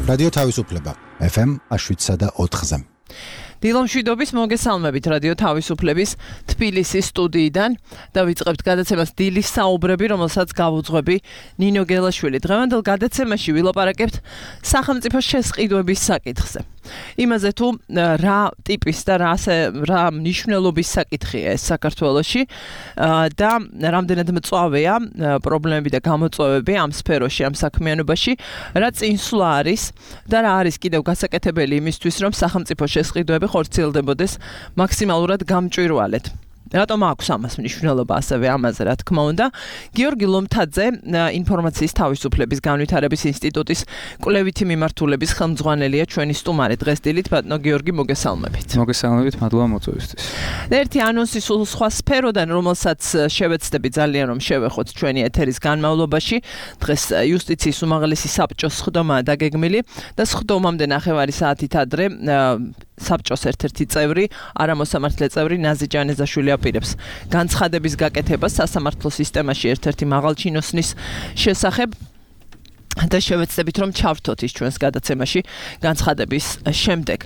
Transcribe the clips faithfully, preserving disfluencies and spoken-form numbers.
რადიო თავისუფლება ეფ ემ შვიდსა და ოთხზე. დილომშვიდობის მოგესალმებით რადიო თავისუფლების თბილისის სტუდიიდან და ვიწყებთ გადაცემას დილის საუბრები, რომელსაც გავუძღვები ნინო გელაშვილი. დღევანდელ გადაცემაში ვილაპარაკებთ სახელმწიფო შესყიდვების საკითხზე. იმაზე თუ რა ტიპის და რა რა მნიშვნელობის საკითხია ეს საქართველოში და რამდენად მწვავეა პრობლემები და გამოწვევები ამ სფეროში, ამ საქმიანობაში, რა წინსვლა არის და რა არის კიდევ გასაკეთებელი იმისთვის, რომ სახელმწიფო შესყიდვები ხორციელდებოდეს მაქსიმალურად გამჭვირვალედ. რატომ აქვს ამას მნიშვნელობა ასევე ამაზე რა თქმა უნდა. გიორგი ლომთაძე, ინფორმაციის თავისუფლების განვითარების ინსტიტუტის კვლევითი მიმართულების ხელმძღვანელია ჩვენი სტუმარი დღეს დილით. ბატონო გიორგი, მოგესალმებით. მოგესალმებით, მადლობა მოწვევისთვის. ერთი ანონსი სულ სხვა სფეროდან, რომელსაც შევეცდები ძალიან რომ შევეხოთ ჩვენი ეთერის განმავლობაში. დღეს იუსტიციის უმაღლესი საბჭოს სხდომაა დაგეგმილი და სხდომამდე ნახევარი საათით ადრე საბჭოს ერთ-ერთი წევრი, არამოსამართლე წევრი ნაზი ჯანეზაშვილი აპირებს განცხადების გაკეთებას სასამართლო სისტემაში ერთ-ერთი მაღალჩინოსნის შესახებ და შევეცდებით რომ ჩავრთოთ ის ჩვენს გადაცემაში განცხადების შემდეგ.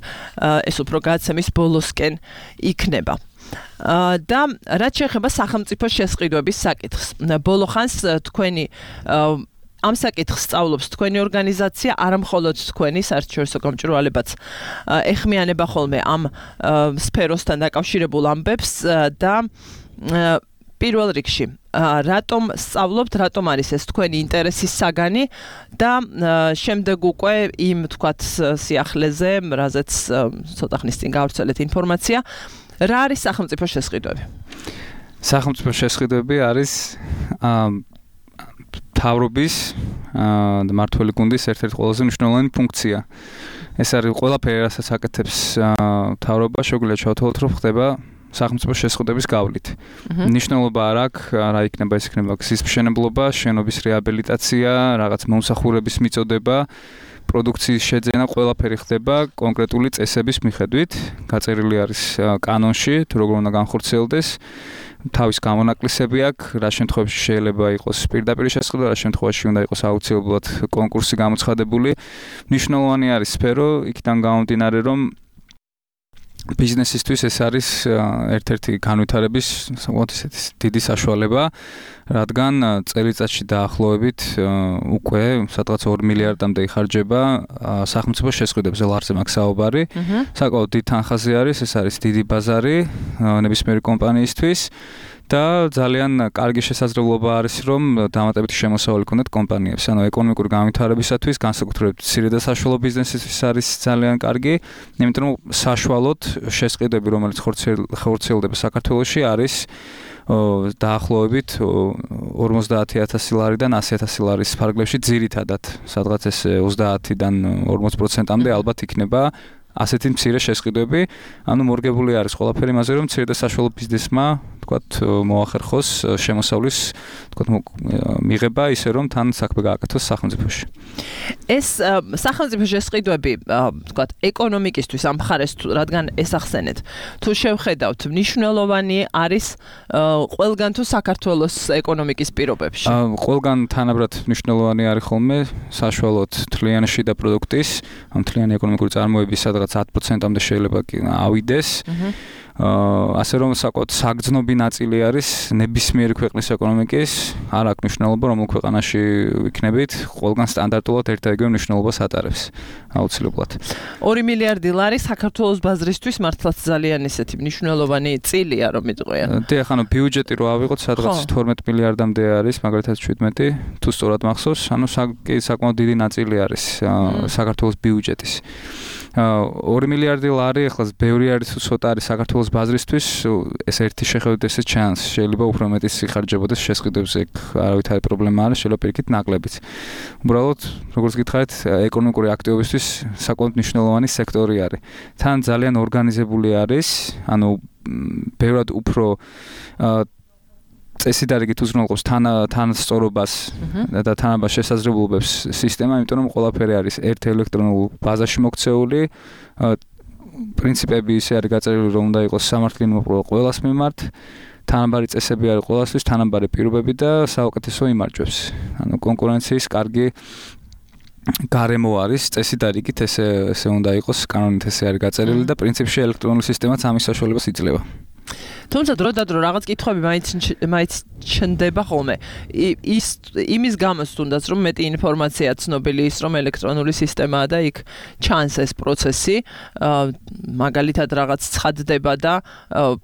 ეს უფრო გადაცემის ბოლოსკენ იქნება. და რაც შეეხება სახელმწიფო შესყიდვების საკითხს. ბოლო ხანს თქვენი ამ საკითხს სწავლობს თქვენი ორგანიზაცია, არა მხოლოდ თქვენი საერთაშორისო გამჭვირვალებაც ეხმიანება ხოლმე ამ სფეროსთან დაკავშირებულ ამბებს და პირველ რიგში რატომ სწავლობთ, რატომ არის ეს თქვენი ინტერესის საგანი და შემდეგ უკვე იმ თქვათ სიახლეზე, რაზეც ცოტა ხნის წინ გავრცელეთ ინფორმაცია, რა არის სახელმწიფო შესყიდვები? სახელმწიფო შესყიდვები არის თავრობის და მართველი გუნდის ერთ-ერთი ყველაზე მნიშვნელოვანი ფუნქცია. ეს არის ყველაფერი, რასაც აკეთებს თავრობა, შეგვიძლია ჩავთვალოთ, რომ ხდება სახელმწიფო შესყიდვების გავლით. მნიშვნელობა არ აქვს, რა იქნება, ეს იქნება გზის მშენებლობა, შენობის რეაბილიტაცია, რაღაც მომსახურების მიწოდება, პროდუქციის შეძენა, ყველაფერი ხდება კონკრეტული წესების მიხედვით. გაწერილი არის კანონში, თუ როგორ უნდა განხორციელდეს. თავის გამონაკლისები აქვს, რა შემთხვევაში შეიძლება იყოს პირდაპირ შესყიდვა, რა შემთხვევაში უნდა იყოს აუცილებლად კონკურსი გამოცხადებული. მნიშვნელოვანი არის სფერო, იქიდან გამომდინარე, რომ ბიზნესისთვის ეს არის ერთ-ერთი განვითარების დიდი საშუალება, რადგან წელიწადში დაახლოებით უკვე სადღაც ორი მილიარდამდე იხარჯება სახელმწიფო შესყიდვებზე, ლარზე მაქვს საუბარი. საკმაოდ დიდი თანხაზე არის, ეს არის დიდი ბაზარი ნებისმიერი კომპანიისთვის. და ძალიან კარგი შესაძლებლობა არის, რომ დამატებითი შემოსავალი ქონდეთ კომპანიებს. ანუ ეკონომიკური განვითარებისათვის, განსაკუთრებით მცირე და საშუალო ბიზნესისთვის არის ძალიან კარგი, იმიტომ რომ საშუალოდ შესყიდვები, რომელიც ხორციელდება საქართველოში, არის დაახლოებით ორმოცდაათი ათასი ლარიდან ასი ათასი ლარის ფარგლებში ძირითადად, სადღაც ეს ოცდაათიდან ორმოცი პროცენტამდე ალბათ იქნება ასეთი მცირე შესყიდვები. ანუ მორგებული არის ყველაფერი იმაზე, რომ მცირე და საშუალო ბიზნესმა თქვათ მოახერხოს შემოსავლის თქვათ მიღება ისე რომ თან საქმე გააკეთოს სახელმწიფოში. ეს სახელმწიფო შესყიდვები თქვათ ეკონომიკისთვის ამ მხარეს რადგან ესახსენეთ, თუ შევხედავთ, მნიშვნელოვანი არის ყველგან თუ საქართველოს ეკონომიკის პირობებში? ყველგან თანაბრად მნიშვნელოვანი არის ხოლმე საშუალოდ თლიანი შიდა პროდუქტის, ამ თლიანი ეკონომიკური წარმოების სადღაც ათი პროცენტამდე შეიძლება ავიდეს. ასე რომ საკუთარ საგრძნობი ნაწილი არის ნებისმიერი ქვეყნის ეკონომიკის, არ აქვს მნიშვნელობა რომელ ქვეყანაში ვიქნებით, ყველგან სტანდარტულად ერთ და იგივე მნიშვნელობას ატარებს აუცილებლად. ორი მილიარდი ლარი საქართველოს ბაზრისთვის მართლაც ძალიან ისეთი მნიშვნელოვანი წილია რომ იტყვია. დიახ, ანუ ბიუჯეტი რო ავიღოთ, სადღაც თორმეტი მილიარდამდე არის, მაგალითად შვიდმეტი, თუ სწორად მახსოვს, ანუ საკმაოდ დიდი ნაწილი არის საქართველოს ბიუჯეტის. ორი მილიარდი ლარი, ახლა ბევრი არის თუ ცოტა არის საქართველოს ბაზრისთვის, ეს ერთი შეხედვით ესე ჩანს, შეიძლება უფრო მეტის იხარჯებოდეს შესყიდვებზე, არავითარი პრობლემა არ არის, შეიძლება პირიქით ნაკლებიც. უბრალოდ, როგორც გითხარით, ეკონომიკური აქტივობისთვის საკმაოდ მნიშვნელოვანი სექტორი არის. თან ძალიან ორგანიზებული არის, ანუ ბევრად უფრო წესი დარიგით უზრუნველყოფს თანასწორობას და თანაბარ შესაძლებლობებს სისტემა, იმიტომ რომ ყველაფერი არის ერთ ელექტრონულ ბაზაში მოქცეული. პრინციპები ისე არის გაწერილი, რომ უნდა იყოს სამართლიანი მოპყრობა ყველას მიმართ თანაბარი წესები არის ყველასთვის, თანაბარი პირობები და საუკეთესო იმარჯვებს. ანუ კონკურენციის კარგი გარემო არის, წესით არ იქით ესე ესე უნდა იყოს, კანონით ესე არის გაწერილი და პრინციპში ელექტრონული სისტემაც ამის საშუალებას იძლევა. თუმცა დრო და დრო რაღაც კითხვები მაინც მაინც ჩნდება ხოლმე. ის იმის გამო თუნდაც რომ მეტი ინფორმაცია ცნობილი ის რომ ელექტრონული სისტემაა და იქ ჩანს ეს პროცესი, მაგალითად რაღაც ცხადდება და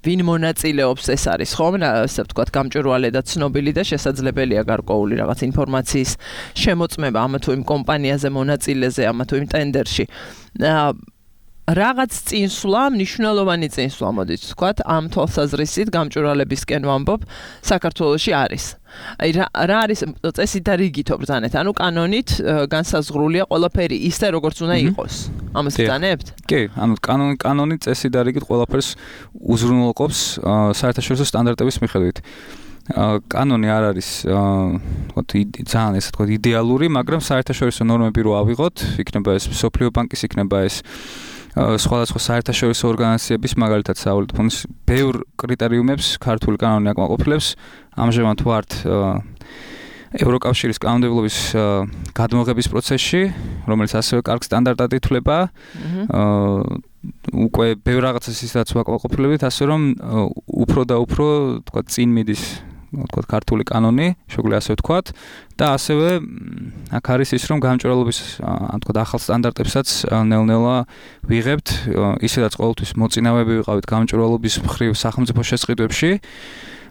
ვინ მონაწილეობს ეს არის ხომ, ასე ვთქვათ, გამჭვირვალე და ცნობილი და შესაძლებელია გარკვეული რაღაც ინფორმაციის შემოწმება ამა თუ იმ კომპანიაზე მონაწილეზე, ამა თუ იმ ტენდერში. რაღაც წინსვლა, მნიშვნელოვანი წინსვლა, მოდით ვთქვათ, ამ თვალსაზრისით გამჭვირვალებისკენ ვამბობ, საქართველოში არის. აი რა არის წესი და რიგით ბრძანეთ, ანუ კანონით განსაზღვრულია ყველაფერი ისე როგორც უნდა იყოს. ამას ბრძანებთ? კი, ანუ კანონი კანონი წესი და რიგით ყველაფერს უზრუნველყოფს საერთაშორისო სტანდარტების მიხედვით. კანონი არ არის ძალიან ესე ვთქვათ იდეალური, მაგრამ საერთაშორისო ნორმები რო ავიღოთ, იქნება ეს მსოფლიო ბანკის, იქნება ეს სხვადასხვა საერთაშორისო ორგანიზაციების, მაგალითად სავალუტო ფონდის ბევრ კრიტერიუმებს ქართული კანონი აკმაყოფილებს. ამჟამად ვართ ევროკავშირის კანონმდებლობის გადმოღების პროცესში, რომელიც ასევე კარგ სტანდარტად ითვლება. უკვე ბევრ რაღაცას ისაც ვაკმაყოფილებით, ასე რომ უფრო და უფრო თქვა წინ მიდის თქვა ქართული კანონი, შეგვიძლია ასე ვთქვათ და ასევე აქ არის ის რომ გამჭვირვალობის ან თქვა ახალ სტანდარტებსაც ნელ-ნელა ვიღებთ, ისედაც ყოველთვის მოწინავეები ვიყავით გამჭვირვალობის მხრივ სახელმწიფო შესყიდვებში.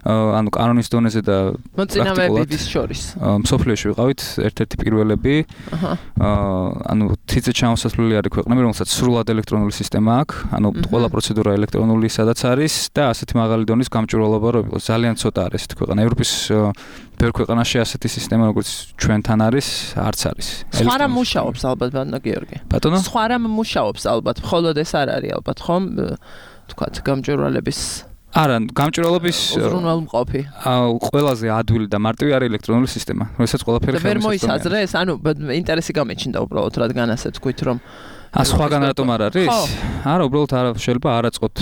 ანუ კანონის დონეზე და მოწინავეების შორის. მსოფლიოში ვიყავით ერთ-ერთი პირველები. ანუ თითზე ჩამოსასვლელი არის ქვეყნები, რომელსაც სრულად ელექტრონული სისტემა აქვს, ანუ ყველა პროცედურა ელექტრონული სადაც არის და ასეთი მაღალი დონის გამჭვირვალობა რო იყოს. ძალიან ცოტა არის ესეთი ქვეყანა. ევროპის ბევრ ქვეყანაში ასეთი სისტემა როგორც ჩვენთან არის, არც არის. სხვა რამ მუშაობს ალბათ ბატონო გიორგი. ბატონო? სხვა რამ მუშაობს ალბათ, მხოლოდ ეს არ არის ალბათ, ხომ? თქვათ გამჭვირვალების არა, გამჭვირვალობის უზრუნველმყოფი. ყველაზე ადვილი და მარტივი არის ელექტრონული სისტემა, რომელსაც ყველაფერი ხელმისაწვდომია. ვერ მოისაზრეს, ანუ ინტერესი გამეჩნდა უბრალოდ, რადგან ასე თქვით რომ ა სხვაგან რატომ არ არის? არა, უბრალოდ არა შეიძლება არ აწყოთ.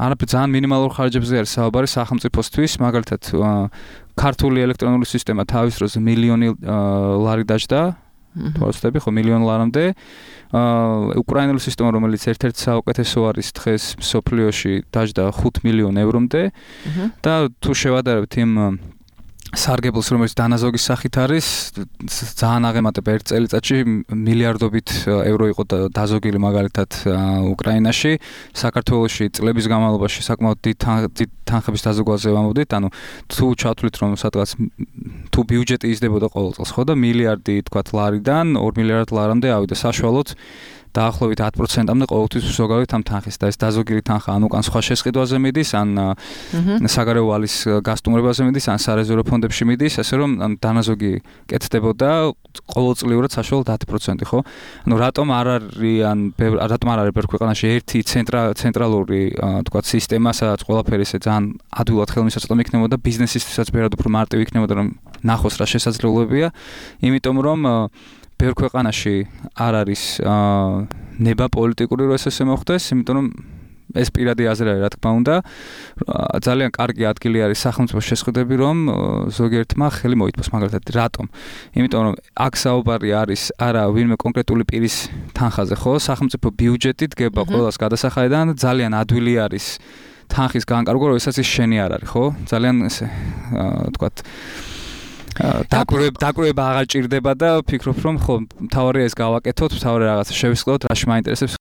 არაფერ ძალიან მინიმალურ ხარჯებზე არის საუბარი სახელმწიფოსთვის, მაგალითად ქართული ელექტრონული სისტემა თავის დროზე მილიონი ლარი დაჯდა. თორსტები ხო მილიონ ლარამდე. უკრაინული სისტემა, რომელიც ერთ-ერთი საუკეთესო არის დღეს მსოფლიოში, დაჯდა ხუთ მილიონ ევრომდე და თუ შევადარებთ იმ სარგებელს, რომელიც დანაზოგის სახით არის, ძალიან აღემატება ერთ წელიწადში მილიარდობით ევრო იყო დაზოგილი მაგალითად უკრაინაში. საქართველოში წლების განმავლობაში საკმაოდ დიდ თანხების დაზოგვაზე ვამბობდით, ანუ თუ ჩავთვლით რომ სადღაც თუ ბიუჯეტი იზრდებოდა ყოველ წელს, ხო და მილიარდი თქვათ ლარიდან ორ მილიარდ ლარამდე ავიდა საშუალოდ დაახლოებით ათ პროცენტამდე ყოველთვის ზოგადად ამ თანხის და ეს დაზოგილი თანხა ან უკან სხვა შესყიდვაზე მიდის, ან საგარეო ვალის გასტუმრებაზე მიდის, ან სარეზერვო ფონდებში მიდის, ასე რომ დანაზოგი კეთდებოდა ყოველწლიურად საშუალოდ ათი პროცენტი, ხო? ანუ რატომ არ არიან რატომ არ არის ბევრ ქვეყანაში ერთი ცენტრალური თქვა სისტემა, სადაც ყველაფერი ესე ძალიან ადვილად ხელმისაწვდომი იქნებოდა, ბიზნესისთვისაც ბევრად უფრო მარტივი იქნებოდა, რომ ნახოს რა შესაძლებლობებია, იმიტომ რომ ბევრ ქვეყანაში არ არის ნება პოლიტიკური რო ესე მოხდეს, იმიტომ რომ ეს პირადი აზრი არის, რა თქმა უნდა, ძალიან კარგი ადგილი არის სახელმწიფო შესყიდვები, რომ ზოგიერთმა ხელი მოითმოს, მაგალითად, რატომ? იმიტომ რომ აქ საუბარი არის არა ვინმე კონკრეტული პირის თანხაზე, ხო? სახელმწიფო ბიუჯეტი დგება ყველას გადასახადიდან, ძალიან ადვილი არის თანხის განკარგვა, როდესაც ის შენი არ არის, ხო? ძალიან ესე თქვათ დაკვრება დაკვრება აღარ ჭირდება და ფიქრობ რომ ხო მთავარია ეს გავაკეთოთ, მთავარი რაღაცა შევისყიდოთ, რაში მაინტერესებს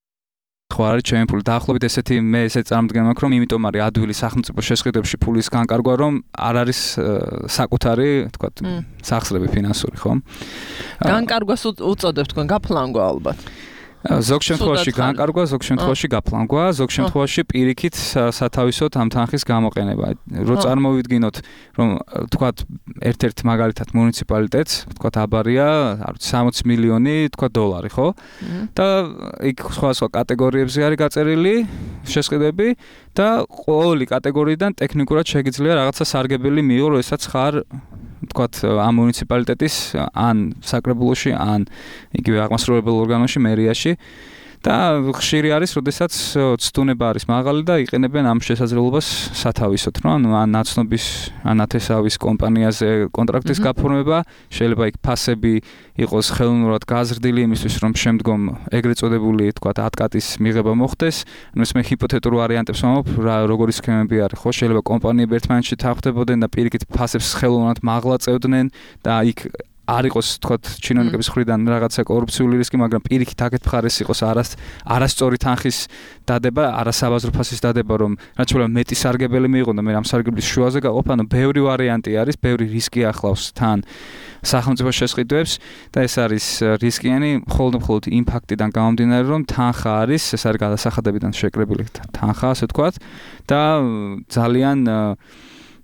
ხო არის ჩემი ფული. დაახლოებით ესეთი მე ესე წარმდგენ მაქვს რომ იმიტომ არის ადვილი სახელმწიფო შესყიდვებში ფულის განკარგვა, რომ არ არის საკუთარი თქვა სახსრები ფინანსური, ხო? განკარგვას უწოდებთ თქვენ გაფლანგვა ალბათ. ზოგ შემთხვევაში განკარგვა, ზოგ შემთხვევაში გაფლანგვა, ზოგ შემთხვევაში პირიქით სათავისოდ ამ თანხის გამოყენება. რო წარმოვიდგინოთ, რომ თქვათ ერთ-ერთ მაგალითად მუნიციპალიტეტს, თქვათ აბარია, არ ვიცი სამოცი მილიონი, თქვათ დოლარი, ხო? და იქ სხვადასხვა კატეგორიებზე არის გაწერილი შესყიდვები და ყოველი კატეგორიიდან ტექნიკურად შეგიძლია რაღაცა სარგებელი მიიღო, როდესაც ხარ თქვათ ამ მუნიციპალიტეტის ან საკრებულოში ან იგივე აღმასრულებელ ორგანოში, მერიაში და ხშირი არის, როდესაც ცდუნება არის მაღალი და იყენებენ ამ შესაძლებლობას სათავისოდ, რომ ანუ ან ნაცნობის ან ათესავის კომპანიაზე კონტრაქტის გაფორმება, შეიძლება იქ ფასები იყოს ხელოვნურად გაზრდილი იმისთვის, რომ შემდგომ ეგრეთ წოდებული, თქვათ, ატკატის მიღება მოხდეს. ანუ ეს მე ჰიპოთეტურ ვარიანტებს ვამბობ, რა როგორი სქემები არის, ხო, შეიძლება კომპანიები ერთმანეთში თანხმდებოდნენ და პირიქით ფასებს ხელოვნურად მაღლა წევდნენ და იქ არ იყოს თქვათ ჩინოვნიკების მხრიდან რაღაცა კორუფციული რისკი, მაგრამ პირიქით აქეთ მხარეს იყოს არას არასწორი თანხის დადება, არასაბაზრო ფასის დადება, რომ რაც შეიძლება მეტი სარგებელი მიიღონ და მე ამ სარგებლის შუაზე გაყოფ, ანუ ბევრი ვარიანტი არის, ბევრი რისკი ახლავს თან სახელმწიფო შესყიდვებს და ეს არის რისკიანი მხოლოდ მხოლოდ იმ ფაქტიდან გამომდინარე, რომ თანხა არის, ეს არის გადასახადებიდან შეკრებილი თანხა, ასე ვთქვათ, და ძალიან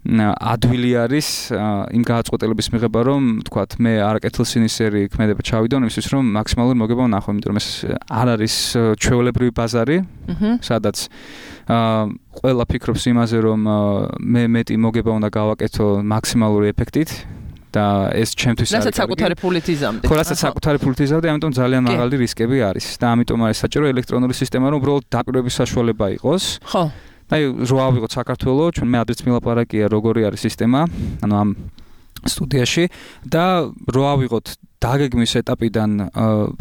ადვილი არის იმ გადაწყვეტილების მიღება, რომ თქვათ მე არაკეთილსინისერი ქმედება ჩავიდონ იმისთვის, რომ მაქსიმალური მოგება ვნახო, იმიტომ რომ ეს არ არის ჩვეულებრივი ბაზარი, სადაც ყველა ფიქრობს იმაზე, რომ მე მეტი მოგება უნდა გავაკეთო მაქსიმალური ეფექტით და ეს ჩემთვის არის. რასაც საკუთარი ფულით იზამდი. ხო, რასაც საკუთარი ფულით იზამდი, ამიტომ ძალიან მაღალი რისკები არის და ამიტომ არის საჭირო ელექტრონული სისტემა, რომ უბრალოდ დაკვირვების საშუალება იყოს. ხო. აი, რო ავიღოთ საქართველოს, ჩვენ მე ადრეც მილაპარაკია, როგორი არის სისტემა, ანუ ამ სტუდიაში და რო ავიღოთ დაგეგმვის ეტაპიდან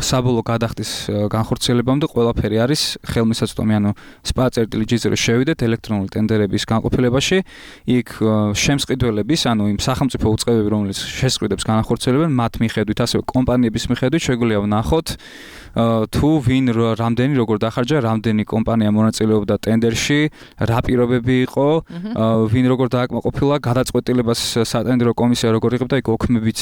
საბოლოო გადახდის განხორციელებამდე ყველაფერი არის ხელმისაწვდომი, ანუ სპა წერტილი ჯი ზირო შევიდეთ ელექტრონული ტენდერების განყოფილებაში, იქ შემსყიდველების, ანუ იმ სახელმწიფო უწყებები, რომელიც შესყიდვებს განახორციელებენ, მათ მიხედვით, ასევე კომპანიების მიხედვით შეგვიძლია ვნახოთ თუ ვინ რამდენი როგორ დახარჯა, რამდენი კომპანია მონაწილეობდა ტენდერში, რა პირობები იყო, ვინ როგორ დააკმაყოფილა, გადაწყვეტილებას სატენდერო კომისია როგორ იღებდა, იქ ოქმებით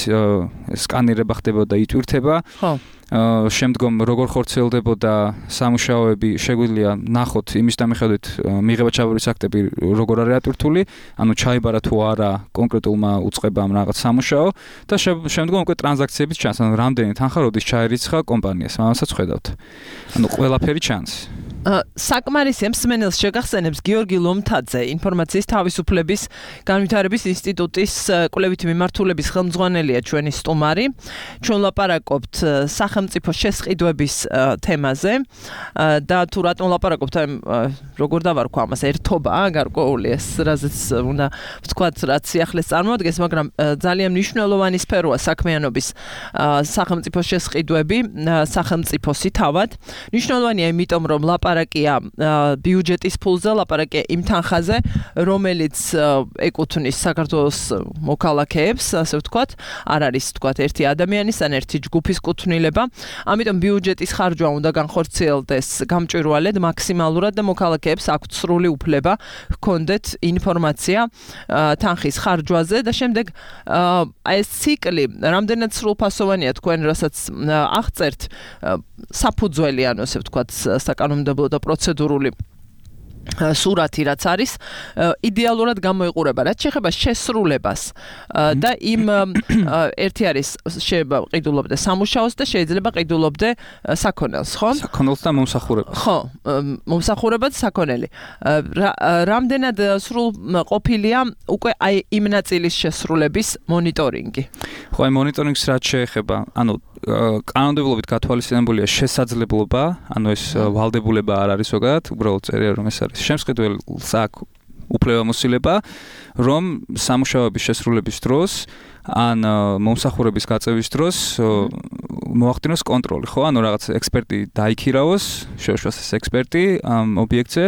სკანირება ხდებოდა, იტვირთება. ხო. შემდგომ როგორ ხორციელდებოდა სამუშაოები, შეგვიძლია ნახოთ იმის დამიხედვით მიღება ჩაბარების აქტები როგორ არის ატვირთული, ანუ ჩაიბარა თუ არა კონკრეტულმა უწყებამ რაღაც სამუშაო და შემდგომ უკვე ტრანზაქციების ჩანს, ანუ რამდენი თანხა როდის ჩაერიცხა კომპანიას, ამასაც ხედავთ. ანუ ყველაფერი ჩანს. საკმარისია მსმენელს შეგახსენებს გიორგი ლომთაძე, ინფორმაციის თავისუფლების განვითარების ინსტიტუტის კვლევითი მიმართულების ხელმძღვანელია ჩვენი სტუმარი. ჩვენ ლაპარაკობთ სახელმწიფო შესყიდვების თემაზე და თუ რატომ ლაპარაკობთ, აი როგორ დავარქვა ამას, ერთობა გარკვეული ეს, რაზეც უნდა ვთქვათ, რაც სიახლეს წარმოადგენს, მაგრამ ძალიან მნიშვნელოვანი სფეროა საქმიანობის სახელმწიფო შესყიდვები, სახელმწიფოსი თავად. მნიშვნელოვანია იმიტომ, რომ ლაპარაკია ბიუჯეტის ფულზე, ლაპარაკია იმ თანხაზე, რომელიც ეკუთვნის საქართველოს მოქალაქეებს, ასე ვთქვათ, არ არის ვთქვათ ერთი ადამიანის ან ერთი ჯგუფის კუთვნილება. ამიტომ ბიუჯეტის ხარჯვა უნდა განხორციელდეს გამჭვირვალედ, მაქსიმალურად და მოქალაქეებს აქვთ სრული უფლება ჰქონდეთ ინფორმაცია თანხის ხარჯვაზე და შემდეგ აი ეს ციკლი რამდენად სრულფასოვანია თქვენ რასაც აღწერთ საფუძველი, ანუ ასე ვთქვათ, საკანონმდებლო და პროცედურული სურათი რაც არის იდეალურად გამოიყურება, რაც შეეხება შესრულებას და იმ ერთი არის შეიძლება ყიდულობდე სამუშაოს და შეიძლება ყიდულობდე საქონელს, ხო? საქონელს და მომსახურებას. ხო, მომსახურებად საქონელი. რამდენად სრულ ყოფილია უკვე აი იმ ნაწილის შესრულების მონიტორინგი? ხო, აი მონიტორინგს რაც შეეხება, ანუ კანონმდებლობით გათვალისწინებულია შესაძლებლობა, ანუ ეს ვალდებულება არ არის ზოგადად, უბრალოდ წერია რომ ეს არის შემსყიდველს აქვს უფლებამოსილება, რომ სამუშაოების შესრულების დროს ან მომსახურების გაწევის დროს მოახდინოს კონტროლი, ხო? ანუ რაღაც ექსპერტი დაიქირავოს, შეუშვას ეს ექსპერტი ამ ობიექტზე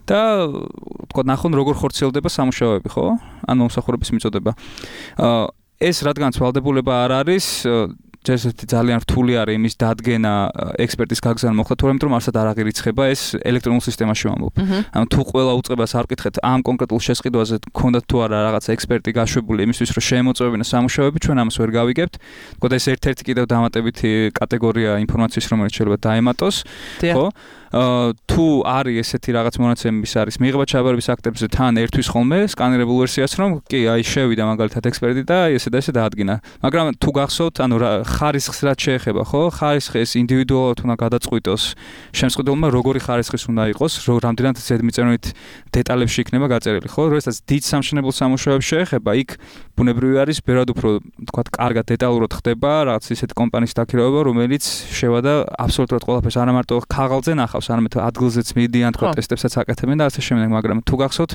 და თქო ნახონ როგორ ხორციელდება სამუშაოები, ხო? ან მომსახურების მიწოდება. ეს რადგანაც ვალდებულება არ არის, ჯერჯერობით ძალიან რთული არის იმის დადგენა ექსპერტის გაგზავნა მოხდა, თუმცა რომ არსად არ აღირიცხება ეს ელექტრონულ სისტემაში ვამბობ. ანუ თუ ყველა უწყებას არ ვკითხეთ ამ კონკრეტულ შესყიდვაზე გქონდათ თუ არა რაღაც ექსპერტი გაშვებული იმისთვის რომ შეემოწმებინა სამუშაოები, ჩვენ ამას ვერ გავიგებთ. თქო და ეს ერთ-ერთი კიდევ დამატებითი კატეგორია ინფორმაციის, რომელიც შეიძლება დაემატოს, ხო? თუ არის ესეთი რაღაც მონაცემების არის მიიღება ჩაბარების აქტებზე თან ერთვის ხოლმე სკანირებულ ვერსიას რომ კი აი შევიდა მაგალითად ექსპერტი და ესე და ესე დაადგინა მაგრამ თუ გახსოვთ ანუ ხარისხს რაც შეეხება ხო ხარისხი ეს ინდივიდუალურად უნდა გადაწყვიტოს შემსყიდველმა როგორი ხარისხის უნდა იყოს რომ რამდენად ზედმიწევნით დეტალებში იქნება გაწერილი ხო როდესაც დიდ სამშენებლო სამუშაოებს შეეხება იქ ბუნებრივი არის ბევრად უფრო თქვათ კარგად დეტალურად ხდება რაღაც ისეთი კომპანიის დაქირავება რომელიც შევადა აბსოლუტურად ყველაფერს არა მარტო ქაღალდზე ნახავს არამედ ადგილზეც მიდიან თქვათ ტესტებსაც აკეთებენ და ასე შემდეგ მაგრამ თუ გახსოვთ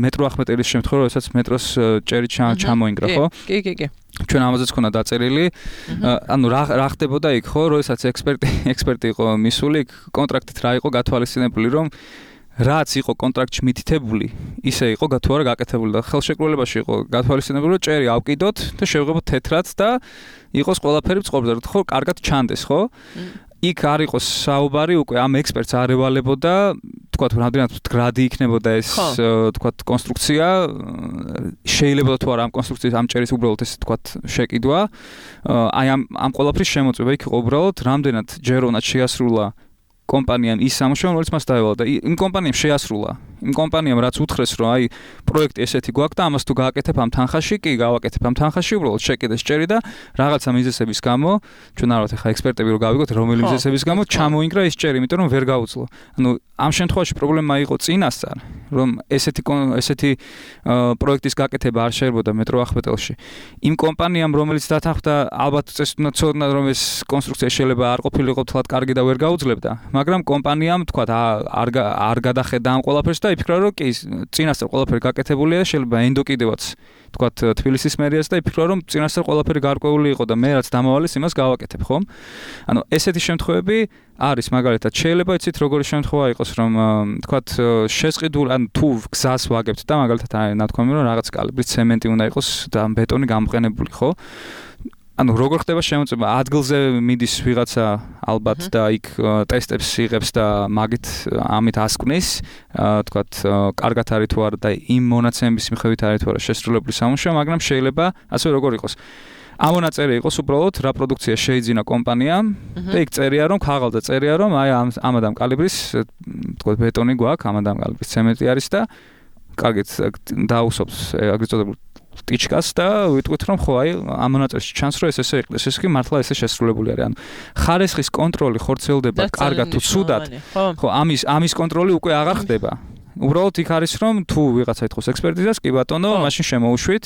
მეტრო ახმეტელის შემთხვევა როდესაც მეტროს ჭერი ჩამოინგრა ხო კი კი კი ჩვენ ამაზეც ქონდა დაწერილი ანუ რა რა ხდებოდა იქ ხო როდესაც ექსპერტი ექსპერტი იყო მისული კონტრაქტით რა იყო გათვალისწინებული რომ რაც იყო კონტრაქტში მითითებული ისე იყო თუ არა გაკეთებული და ხელშეკრულებაში იყო გათვალისწინებული რომ ჭერი ავკიდოთ და შევღებოთ თეთრად და იყოს ყველაფერი წყობზე ხო კარგად ჩანდეს ხო იქ არ იყოს საუბარი უკვე ამ ექსპერტს არ ევალებოდა თქვათ რამდენად გრადი იქნებოდა ეს თქვათ კონსტრუქცია შეიძლება თუ არა ამ კონსტრუქციის ამ ჭერის უბრალოდ ეს თქვათ შეკიდვა აი ამ ამ ყველაფრის შემოწმება იქ იყო უბრალოდ რამდენად ჯერ უნდა შეასრულა კომპანიამ ის სამუშაო რომელიც მას დაევალა და იმ კომპანიამ შეასრულა იმ კომპანიამ რაც უთხრეს რომ აი პროექტი ესეთი გვაქვს და ამას თუ გააკეთებ ამ თანხაში კი გავაკეთებ ამ თანხაში უბრალოდ შეკიდეს ჭერი და რაღაცა მიზეზების გამო ჩვენ არ ვართ ახლა ექსპერტები რომ გავიგოთ რომელი მიზეზების გამო ჩამოინგრა ეს ჭერი იმიტომ რომ ვერ გაუძლო ანუ ამ შემთხვევაში პრობლემა იყო წინასწარ რომ ესეთი ესეთი პროექტის გაკეთება არ შეიძლება მეტრო ახმეტელში იმ კომპანიამ რომელიც დათანხმდა ალბათ წესდნა ცოდნა რომ ეს კონსტრუქცია შეიძლება არ ყოფილიყო თლად კარგი და ვერ გაუძლებდა მაგრამ კომპანიამ თქვა არ არ გადახედა ამ ყველაფერს და იფიქრა რომ კი წინასწარ ყველაფერი გაკეთებულია შეიძლება ენდოკიდევაც თქვა თბილისის მერიას და იფიქრა რომ წინასწარ ყველაფერი გარკვეული იყო და მე რაც დამავალეს იმას გავაკეთებ ხომ ანუ ესეთი შემთხვევები არის მაგალითად შეიძლება იცით როგორი შემთხვევა იყოს რომ თქვა შეზყიდულ ან თუ გზას ვაგებთ და მაგალითად არის ნათქვამი რომ რაღაც კალიბრის ცემენტი უნდა იყოს და ბეტონი გამოყენებული ხო ანუ როგორ ხდება შემოწმება ადგილზე მიდის ვიღაცა ალბათ და იქ ტესტებს იღებს და მაგით ამით ასკვნის თქვათ კარგად არის თუ არა და იმ მონაცემების მიხედვით არის თუ არა შესრულებული სამუშაო მაგრამ შეიძლება ასე როგორ იყოს ამონაწერი იყოს უბრალოდ რა პროდუქცია შეიძინა კომპანიამ და იქ წერია რომ ქაღალდზე წერია რომ აი ამ ამადამ კალიბრის თქვათ ბეტონი გვაქვს ამადამ კალიბრის ცემენტი არის და კარგით დაუსობს აგრეთ წოდებული ტიჩკას და ვიტყვით რომ ხო აი ამ მონაწერში ჩანს რომ ეს ესე იყდეს ეს კი მართლა ესე შესრულებული არის ანუ ხარისხის კონტროლი ხორციელდება კარგად თუ ცუდად ხო ამის ამის კონტროლი უკვე აღარ ხდება უბრალოდ იქ არის რომ თუ ვიღაცა ეთქოს ექსპერტიზას კი ბატონო მაშინ შემოუშვით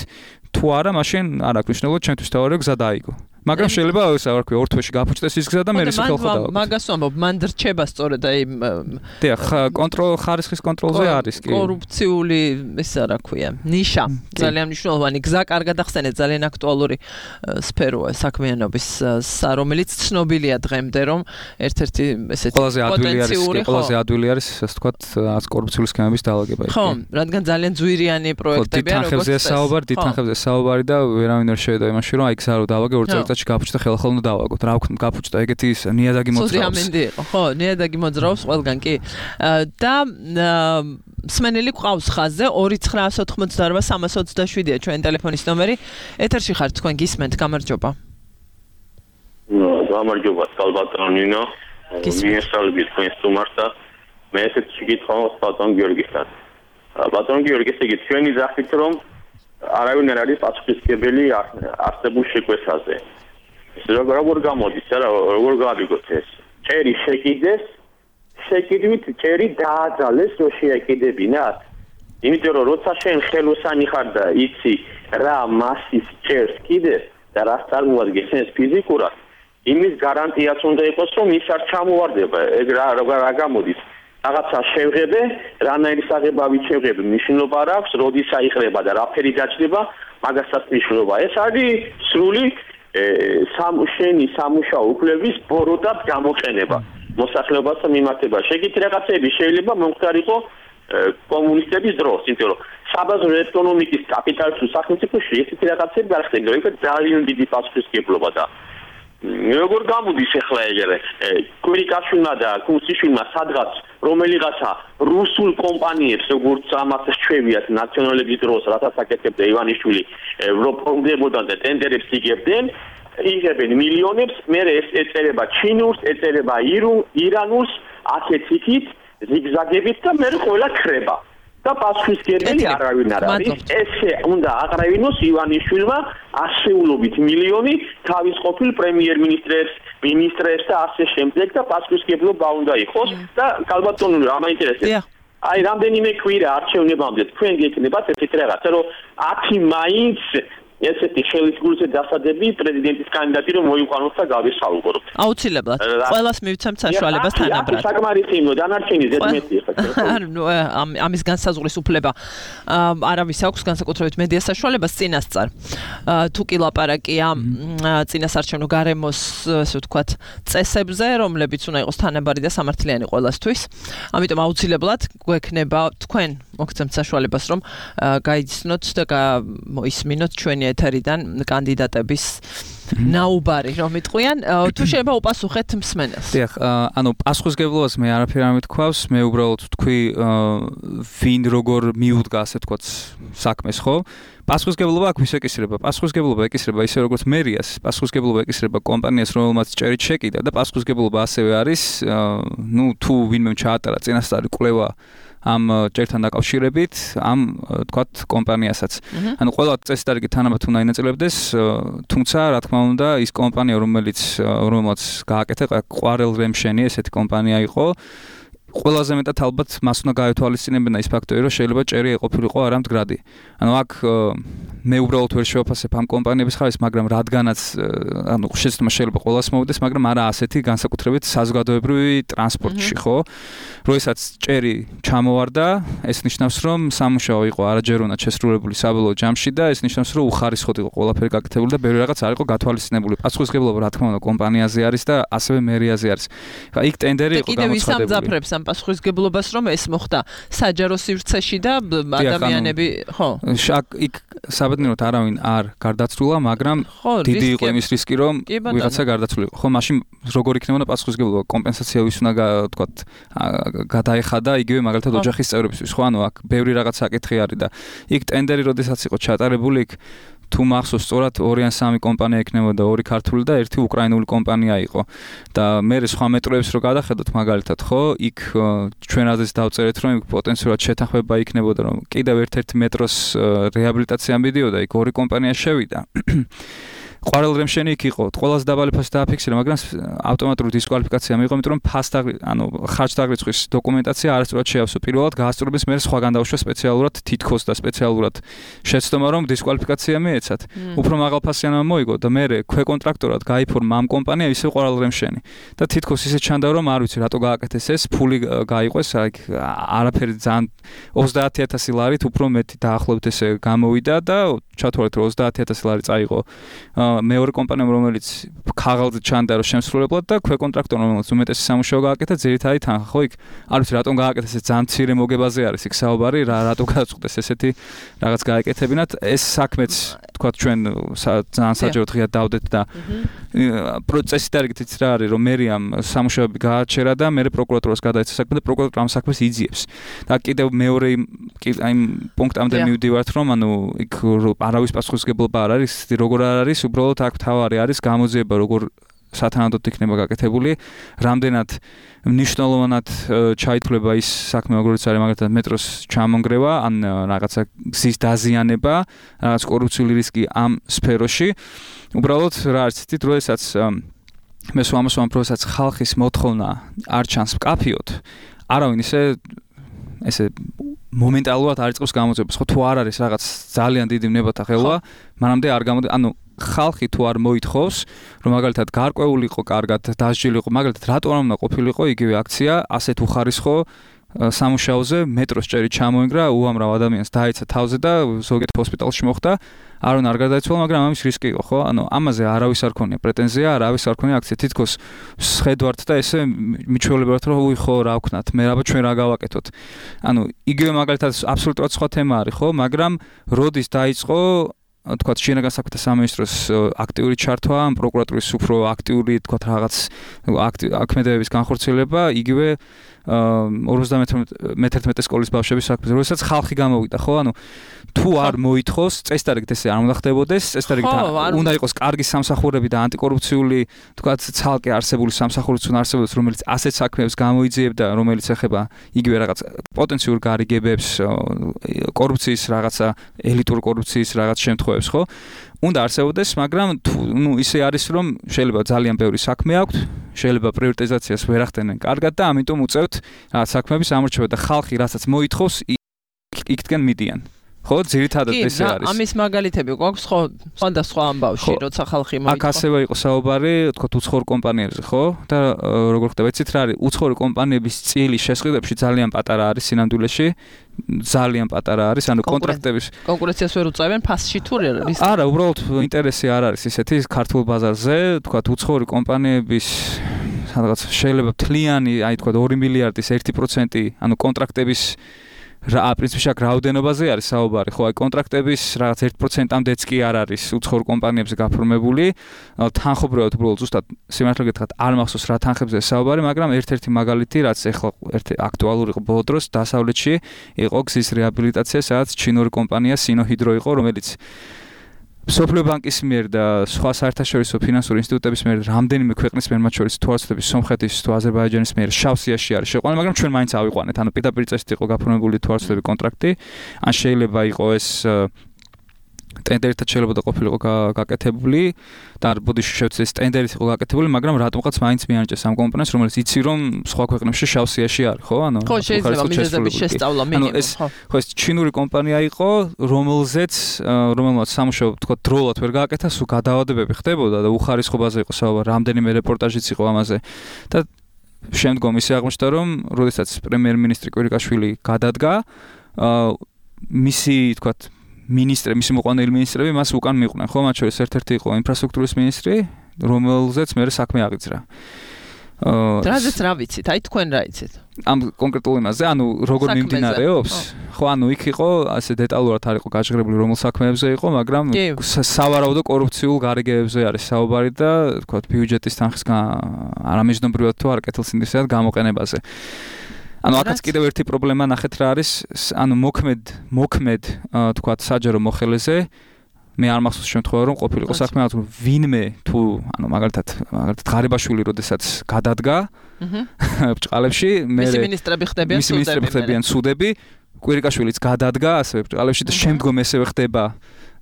თუ არა მაშინ არ აქვს მნიშვნელობა ჩემთვის თავი გზა დაიგო მაგრამ შეიძლება ეს არ ვქო ორ თვეში გაფუჭდეს ის გზა და მე ისე ხელხო დავა მაგას ვამბობ მან რჩება სწორედ აი დიახ კონტროლ ხარისხის კონტროლზე არის კი კორუფციული ესე რა ქვია ნიშა ძალიან მნიშვნელოვანი გზა კარგად ახსენეთ ძალიან აქტუალური სფეროა საქმიანობის რომელიც ცნობილია დღემდე რომ ერთ-ერთი ესეთი პოტენციური ყველაზე ადვილი არის ასე ვთქვათ კორუფციული სქემების დაალაგება ხო რადგან ძალიან ძვირიანი პროექტებია როგორც ეს საუბარი დიდ თანხებზე საუბარი და ვერავინ არ შევიდა იმაში რომ აი გზა რო დავაგე ორ წელიწადში გაფუჭდა ხელახალ უნდა დავაგოთ რა ვქნა გაფუჭდა ეგეთი ის ნიადაგი მოძრაობს სოზიამინდი იყო ხო ნიადაგი მოძრაობს ყველგან კი და მსმენელი ყავს ხაზზე ორი ცხრაასი ოთხმოცდაარბა სამასი ოცდაშვიდია ჩვენი ტელეფონის ნომერი ეთერში ხართ თქვენ გისმენთ გამარჯობა გამარჯობა ბატონო ნინო მიესალმებით თქვენ სტუმარს და მე ესეთ შეგითხოვს ბატონ გიორგისთან ბატონ გიორგის იგი ჩვენი ძახით რომ არავინ არ არის პასუხისმგებელი არსებულ შეკვეთაზე ეს როგორ გამოდის რა როგორ გავიგოთ ეს ჭერი შეკიდეს შეკიდვით ჭერი დააძალეს რომ შეეკიდებინათ იმიტომ რომ როცა შენ ხელოსანი ხარ და იცი რა მასის ჭერს კიდეს და რა წარმოადგენს ეს ფიზიკურად იმის გარანტიაც უნდა იყოს რომ ის არ ჩამოვარდება ეგ რა რა გამოდის რაღაცა შევღებე რანაირი საღებავით შევღებე მნიშვნელობა არ აქვს როდის აიყრება და რაფერი დაჭდება მაგასაც მნიშვნელობა ეს არის სრული სამუშენი სამუშაო უფლების ბოროტად გამოყენება მოსახლეობასთან მიმართება შეგითი რაღაცები შეიძლება მომხდარიყო კომუნისტების დროს იმიტომ რომ საბაზრო ეკონომიკის კაპიტალისტურ სახელმწიფოში ესეთი რაღაცები არ ხდება ඒක ძალიან დიდი პასუხისმგებლობა და როგორ გამოდის ახლა ეგრე კვირიკაშვილმა და კუსიშვილმა სადღაც რომელიღაცა რუსულ კომპანიებს როგორც ამას ჩვევიათ ნაციონალების დროს რასაც აკეთებდა ივანიშვილი რომ პრობლემებოდან და ტენდერებს იგებდნენ იღებენ მილიონებს, მე ეს ეწერება ჩინურს, ეწერება ირანულს, ასეთ იქით, ზიგზაგებით და მე ყველა ხრება. და პასუხისმგებელი არავინ არ არის. ესე უნდა აყრევინოს ივანიშვილმა ასეულობით მილიონი თავის ყოფილ პრემიერ-მინისტრებს, მინისტრებს და ასე შემდეგ და პასუხისმგებლობა უნდა იყოს და კალბატონული რა მაინტერესებს. აი რამდენიმე კვირა არჩევნებამდე თქვენ გეკნებათ ესეთ რაღაცა, რომ ათი მაინც ესეთი ხელისგულზე დასადები პრეზიდენტის კანდიდატი რომ მოიყვანოს და გავისაუბროთ. აუცილებლად. ყველას მივცემთ საშუალებას თანაბრად. საკმარისი იმო დანარჩენი ზედმეტი ხა. ანუ ამის განსაზღვრის უფლება არავის აქვს განსაკუთრებით მედია საშუალებას წინასწარ. თუ კი ლაპარაკია წინასარჩევნო გარემოს ასე ვთქვათ წესებზე, რომლებიც უნდა იყოს თანაბარი და სამართლიანი ყველასთვის. ამიტომ აუცილებლად გვექნება თქვენ მოგცემთ საშუალებას რომ გაიცნოთ და მოისმინოთ ჩვენი ეთერიდან კანდიდატების ნაუბარი რომ იტყვიან თუ შეიძლება უპასუხეთ მსმენელს. დიახ, ანუ პასუხისმგებლობას მე არაფერი არ მეთქვავს, მე უბრალოდ თქვი ვინ როგორ მიუდგა ასე ვთქვათ საქმეს, ხო? პასუხისმგებლობა აქ ვის ეკისრება? პასუხისმგებლობა ეკისრება ისე როგორც მერიას, პასუხისმგებლობა ეკისრება კომპანიას, რომელმაც ჭერით შეკიდა და პასუხისმგებლობა ასევე არის, ნუ თუ ვინმე ჩაატარა წინასწარი კვლევა ამ ჭერთან დაკავშირებით, ამ თქვათ კომპანიასაც. ანუ ყველა წესდარგი თანაბრად უნდა ინაწილებდეს, თუმცა რა თქმა უნდა, ის კომპანია, რომელიც რომელმაც გააკეთა, ყვარელ რემშენი ესეთი კომპანია იყო, ყველაზე მეტად ალბათ მას უნდა გაეთვალისწინებინა ის ფაქტორი, რომ შეიძლება ჭერი ეყოფილიყო არა მდგრადი. ანუ აქ მე უბრალოდ ვერ შევაფასებ ამ კომპანიების ხარისხს, მაგრამ რადგანაც ანუ შეცდომა შეიძლება ყველას მოვიდეს, მაგრამ არა ასეთი განსაკუთრებით საზოგადოებრივი ტრანსპორტში, ხო? როდესაც ჭერი ჩამოვარდა, ეს ნიშნავს, რომ სამუშაო იყო არაჯეროვნად შესრულებული საბოლოო ჯამში და ეს ნიშნავს, რომ უხარისხოდ იყო ყველაფერი გაკეთებული და ბევრი რაღაც არ იყო გათვალისწინებული. პასუხისმგებლობა რა თქმა უნდა კომპანიაზე არის და ასევე მერიაზე არის. ხა იქ ტენდერი იყო გამოცხადებული. ამ პასუხისმგებლობას რომ ეს მოხდა საჯარო სივრცეში და ადამიანები ხო იქ საბედნიეროდ არავინ არ გარდაცვლილა, მაგრამ დიდი იყო იმის რისკი რომ ვიღაცა გარდაცვლილიყო. ხო, მაშინ როგორ იქნებოდა პასუხისმგებლობა? კომპენსაცია ვის უნდა თქვათ გადაეხადა იგივე მაგალითად ოჯახის წევრებისთვის. ხო, ანუ აქ ბევრი რაღაც საკითხი არის და იქ ტენდერი როდესაც იყო ჩატარებული, იქ თუ მახსოვს სწორად ორი ან სამი კომპანია იქნებოდა, ორი ქართული და ერთი უკრაინული კომპანია იყო. და მე სხვა მეტროებს რო გადახედოთ მაგალითად, ხო, იქ ჩვენ აზრს დავწერეთ, რომ იქ პოტენციურად შეთანხმება იქნებოდა, რომ კიდევ ერთ-ერთი მეტროს რეაბილიტაცია მიდიოდა, იქ ორი კომპანია შევიდა. ყვარელ რემშენი იქ იყო, ყველაზე დაბალი ფასი დააფიქსირა, მაგრამ ავტომატური დისკვალიფიკაცია მიიღო, იმიტომ რომ ფასტაგრი, ანუ ხარჯდაღრიცხვის დოკუმენტაცია არასწორად შეავსო. პირველად გაასწორების მერე სხვაგან დაუშვა სპეციალურად თითქოს და სპეციალურად შეცდომა რომ დისკვალიფიკაცია მიეცათ. უფრო მაღალ ფასიანმა მოიგო და მერე ქვეკონტრაქტორად გაიფორმა ამ კომპანია ისე ყვარელ რემშენი. და თითქოს ისე ჩანდა რომ არ ვიცი რატო გააკეთეს ეს, ფული გაიყვეს, აი არაფერი ძალიან ოცდაათი ათასი ლარით უფრო მეტი დაახლოებით ესე გამოვიდა და ჩათვალეთ რომ ოცდაათი ათასი ლარი წაიღო მეორე კომპანიამ რომელიც ქაღალდზე ჩანდა რომ შემსრულებლად და ქვეკონტრაქტორმა რომელიც უმეტესი სამუშაო გააკეთა ძირითადად თანხა ხო იქ არ ვიცი რატომ გააკეთეს ეს ძალიან მცირე მოგებაზე არის იქ საუბარი რა რატო გადაწყვეტეს ესეთი რაღაც გააკეთებინათ ეს საქმეც თქვა ჩვენ ძალიან საჯაროდ ღია დავდეთ და პროცესი დარიგით იცი რა არის რომ მერიამ სამუშაოები გააჩერა და მე პროკურატურას გადაეცა საქმე და პროკურატურა ამ საქმეს იძიებს და კიდევ მეორე აი პუნქტამდე მივდივართ რომ ანუ იქ არავის პასუხისმგებლობა არ არის როგორ არ არის უბრალოდ აქ თავარი არის გამოძიება როგორ სათანადოდ იქნება გაკეთებული რამდენად მნიშვნელოვნად ჩაითვლება ის საქმე როგორც არის მაგალითად მეტროს ჩამონგრევა ან რაღაცა გზის დაზიანება რაღაც კორუფციული რისკი ამ სფეროში უბრალოდ რა არის თითით როდესაც მე სვამოსვამ პროცესს ხალხის მოთხოვნა არ ჩანს მკაფიოდ არავინ ისე ესე მომენტალურად არ იწყებს გამოძიებას ხო თუ არ არის რაღაც ძალიან დიდი ნებათა ხელვა მანამდე არ გამოდი ანუ ხალხი თუ არ მოითხოვს რომ მაგალითად გარკვეულიყო კარგად დასჯილიყო მაგალითად რატო არ უნდა ყოფილიყო იგივე აქცია ასეთ უხარისხო სამუშაოზე მეტროს ჭერი ჩამოინგრა უამრავ ადამიანს დაეცა თავზე და ზოგიერთ ჰოსპიტალში მოხდა არონ არ გარდაიცვალა მაგრამ ამის რისკი იყო ხო ანუ ამაზე არავის არ ქონია პრეტენზია არავის არ ქონია აქცია თითქოს შედვართ და ესე მიჩვეულებათ რომ უი ხო რა ვქნათ მე რაბა ჩვენ რა გავაკეთოთ ანუ იგივე მაგალითად აბსოლუტურად სხვა თემა არის ხო მაგრამ როდის დაიწყო თქვათ შინაგან საქმეთა სამინისტროს აქტიური ჩართვა, პროკურატურის უფრო აქტიური თქვათ რაღაც აქმედებების განხორციელება, იგივე ორმოცდამეთერთმეტე სკოლის ბავშვების საქმეზე, როდესაც ხალხი გამოვიდა, ხო? ანუ თუ არ მოითხოვს, წესდარიგით ესე არ უნდა ხდებოდეს, წესდარიგით უნდა იყოს კარგი სამსახურები და ანტიკორუფციული, თქვათ, ცალკე არსებული სამსახურიც უნდა არსებობდეს, რომელიც ასეთ საქმეებს გამოიძიებდა, რომელიც ეხება იგივე რაღაც პოტენციურ გარიგებებს, კორუფციის რაღაცა, ელიტურ კორუფციის რაღაც შემთხვევებს, ხო? უნდა არსებობდეს, მაგრამ ნუ ისე არის, რომ შეიძლება ძალიან ბევრი საქმე აქვთ, შეიძლება პრიორიტიზაციას ვერ ახდენენ კარგად და ამიტომ უწევთ რაღაც საქმეების ამორჩევა და ხალხი რასაც მოითხოვს, იქიდან მიდიან. ხო, ძირითადად ესე არის. ამის მაგალითები გვაქვს, ხო, სხვადასხვა ამბავში, როცა ხალხი მოითხოვს. აქ ასევე იყო საუბარი, თქო, უცხოურ კომპანიებზე, ხო? და როგორ ხდება, იცით რა არის, უცხოური კომპანიების წილი შესყიდვებში ძალიან პატარა არის სინამდვილეში. ძალიან პატარა არის, ანუ კონტრაქტების კონკურენციას ვერ უწევენ ფასში თუ არის? არა, უბრალოდ ინტერესი არ არის ისეთი ქართულ ბაზარზე, თქვა უცხოური კომპანიების სადღაც შეიძლება მთლიანი, აი თქვა ორი მილიარდის ერთი პროცენტი, ანუ კონტრაქტების რა პრინციპში აქ რაოდენობაზე არის საუბარი, ხო, აი კონტრაქტების რაღაც ერთ პროცენტამდეც კი არ არის უცხოურ კომპანიებზე გაფორმებული, თანხობრივად უბრალოდ ზუსტად სიმართლე გითხრათ არ მახსოვს რა თანხებზე საუბარი, მაგრამ ერთ-ერთი მაგალითი, რაც ახლა ერთ აქტუალური იყო ბოლო დროს დასავლეთში, იყო გზის რეაბილიტაცია, სადაც ჩინური კომპანია სინოჰიდრო იყო, რომელიც სოფლიო ბანკის მიერ და სხვა საერთაშორისო ფინანსური ინსტიტუტების მიერ რამდენიმე ქვეყნის მიერ, მათ შორის თუ არცდები სომხეთის თუ აზერბაიჯანის მიერ შავ სიაში არის შეყვანილი, მაგრამ ჩვენ მაინც ავიყვანეთ, ანუ პირდაპირ წესით იყო გაფორმებული თუ არცდები კონტრაქტი, ან შეიძლება იყო ეს ტენდერით შეიძლება და ყოფილიყო გაკეთებული და ბოდიში შევცეს ტენდერით იყო გაკეთებული, მაგრამ რატომღაც მაინც მიანიჭეს ამ კომპანიას, რომელიც იცი რომ სხვა ქვეყნებში შავ სიაში არის, ხო? ანუ ხო, შეიძლება მიზეზების შესწავლა მინიმუმ, ხო. ხო, ეს ჩინური კომპანია იყო, რომელზეც რომელმაც სამუშაო თქვა დროულად ვერ გააკეთა, სულ გადაავადებები ხდებოდა და უხარისხობაზე იყო საუბარი, რამდენიმე რეპორტაჟიც იყო ამაზე. და შემდგომ ისე აღმოჩნდა, რომ როდესაც პრემიერ-მინისტრი კვირიკაშვილი გადადგა, მისი თქვა მინისტრი, მისი მოყვანილი მინისტრები მას უკან მიყვნენ, ხო? მათ შორის ერთ-ერთი იყო ინფრასტრუქტურის მინისტრი, რომელზეც მე საქმე აღიძრა. აა რაზეც რა ვიცით? აი თქვენ რა იცით? ამ კონკრეტულ იმაზე, ანუ როგორ მიმდინარეობს? ხო, ანუ იქ იყო, ასე დეტალურად არ იყო გაჟღერებული რომელ საქმეებზე იყო, მაგრამ სავარაუდო კორუფციულ გარიგებებზე არის საუბარი და თქვა ბიუჯეტის თანხის არამეჯნობრივად თუ არ კეთილსინდისად გამოყენებაზე. ანუ აქაც კიდევ ერთი პრობლემა ნახეთ რა არის, ანუ მოქმედ მოქმედ თქვათ საჯარო მოხელეზე მე არ მახსოვს შემთხვევა რომ ყოფილიყო საქმე თუ ვინმე თუ ანუ მაგალითად მაგალითად ღარიბაშვილი როდესაც გადადგა ბჭყალებში მე მისი მინისტრები ხდებიან მისი მინისტრები ხდებიან სუდები კვირიკაშვილიც გადადგა ასევე ბჭყალებში და შემდგომ ესევე ხდება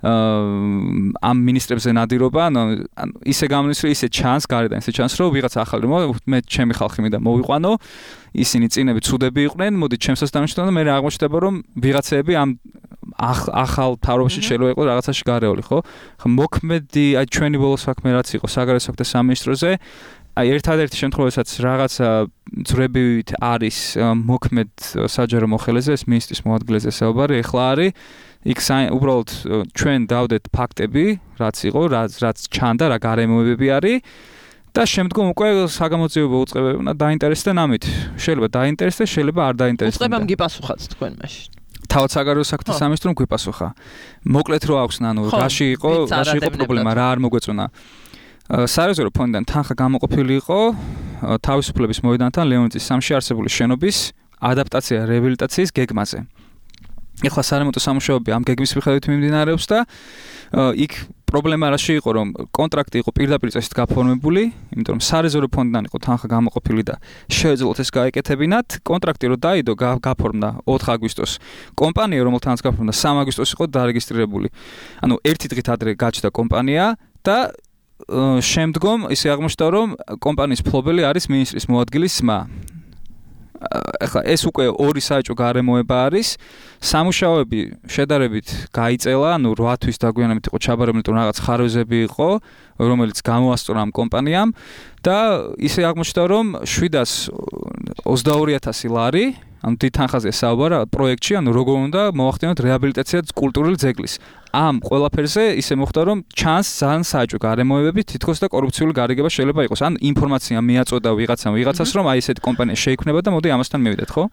ამ მინისტრებზე ნადირობა, ანუ ისე გამნის რომ ისე ჩანს გარედან, ისე ჩანს რომ ვიღაც ახალი მე ჩემი ხალხი მინდა მოვიყვანო, ისინი წინები ცუდები იყვნენ, მოდი ჩემსაც დამშვიდობ და მე აღმოჩნდება რომ ვიღაცები ამ ახალ თავრობაში შეიძლება იყოს რაღაცაში გარეული, ხო? ხა მოქმედი აი ჩვენი ბოლო საქმე რაც იყო საგარეო საქმეთა სამინისტროზე, აი ერთადერთი შემთხვევასაც რაღაცა ძრებივით არის მოქმედ საჯარო მოხელეზე, ეს მინისტრის მოადგილეზე საუბარი, ეხლა არის იქ უბრალოდ ჩვენ დავდეთ ფაქტები, რაც იყო, რაც რაც ჩანდა, რა გარემოებები არის და შემდგომ უკვე საგამოძიებო უწყებები უნდა დაინტერესდნენ ამით. შეიძლება დაინტერესდეს, შეიძლება არ დაინტერესდეს. უწყებამ გიპასუხათ თქვენ მაშინ. თავად საგარეო საქმეთა სამინისტრომ გვიპასუხა. მოკლედ რო აქვს, ანუ რაში იყო, რაში იყო პრობლემა, რა არ მოგვეწონა. სარეზერვო ფონდიდან თანხა გამოყოფილი იყო თავისუფლების მოედანთან ლეონტის სამში არსებული შენობის ადაპტაცია რეაბილიტაციის გეგმაზე. ეხლა სარემონტო სამუშაოები ამ გეგმის მიხედვით მიმდინარეობს და იქ პრობლემა რაში იყო, რომ კონტრაქტი იყო პირდაპირ წესით გაფორმებული, იმიტომ რომ სარეზერვო ფონდიდან იყო თანხა გამოყოფილი და შეეძლოთ ეს გაეკეთებინათ. კონტრაქტი რო დაიდო, გაფორმდა ოთხ აგვისტოს. კომპანია, რომელთანაც გაფორმდა სამი აგვისტოს იყო დარეგისტრირებული. ანუ ერთი დღით ადრე გაჩნდა კომპანია და შემდგომ ისე აღმოჩნდა, რომ კომპანიის მფლობელი არის მინისტრის მოადგილის ძმა. ეხლა ეს უკვე ორი საეჭვო გარემოება არის. სამუშაოები შედარებით გაიწელა, ანუ რვა თვის დაგვიანებით იყო ჩაბარებული, თუ რაღაც ხარვეზები იყო, რომელიც გამოასწორა ამ კომპანიამ და ისე აღმოჩნდა, რომ შვიდას ოცდაორი ათასი ლარი, ანუ დიდ თანხაზე საუბარი პროექტში, ანუ როგორ უნდა მოახდინოთ რეაბილიტაცია კულტურული ძეგლის. ამ ყველაფერზე ისე მოხდა, რომ ჩანს ძალიან საეჭვო გარემოებები, თითქოს და კორუფციული გარიგება შეიძლება იყოს. ან ინფორმაცია მიაწოდა ვიღაცამ ვიღაცას, რომ აი ესეთი კომპანია შეიქმნება და მოდი ამასთან მივიდეთ, ხო?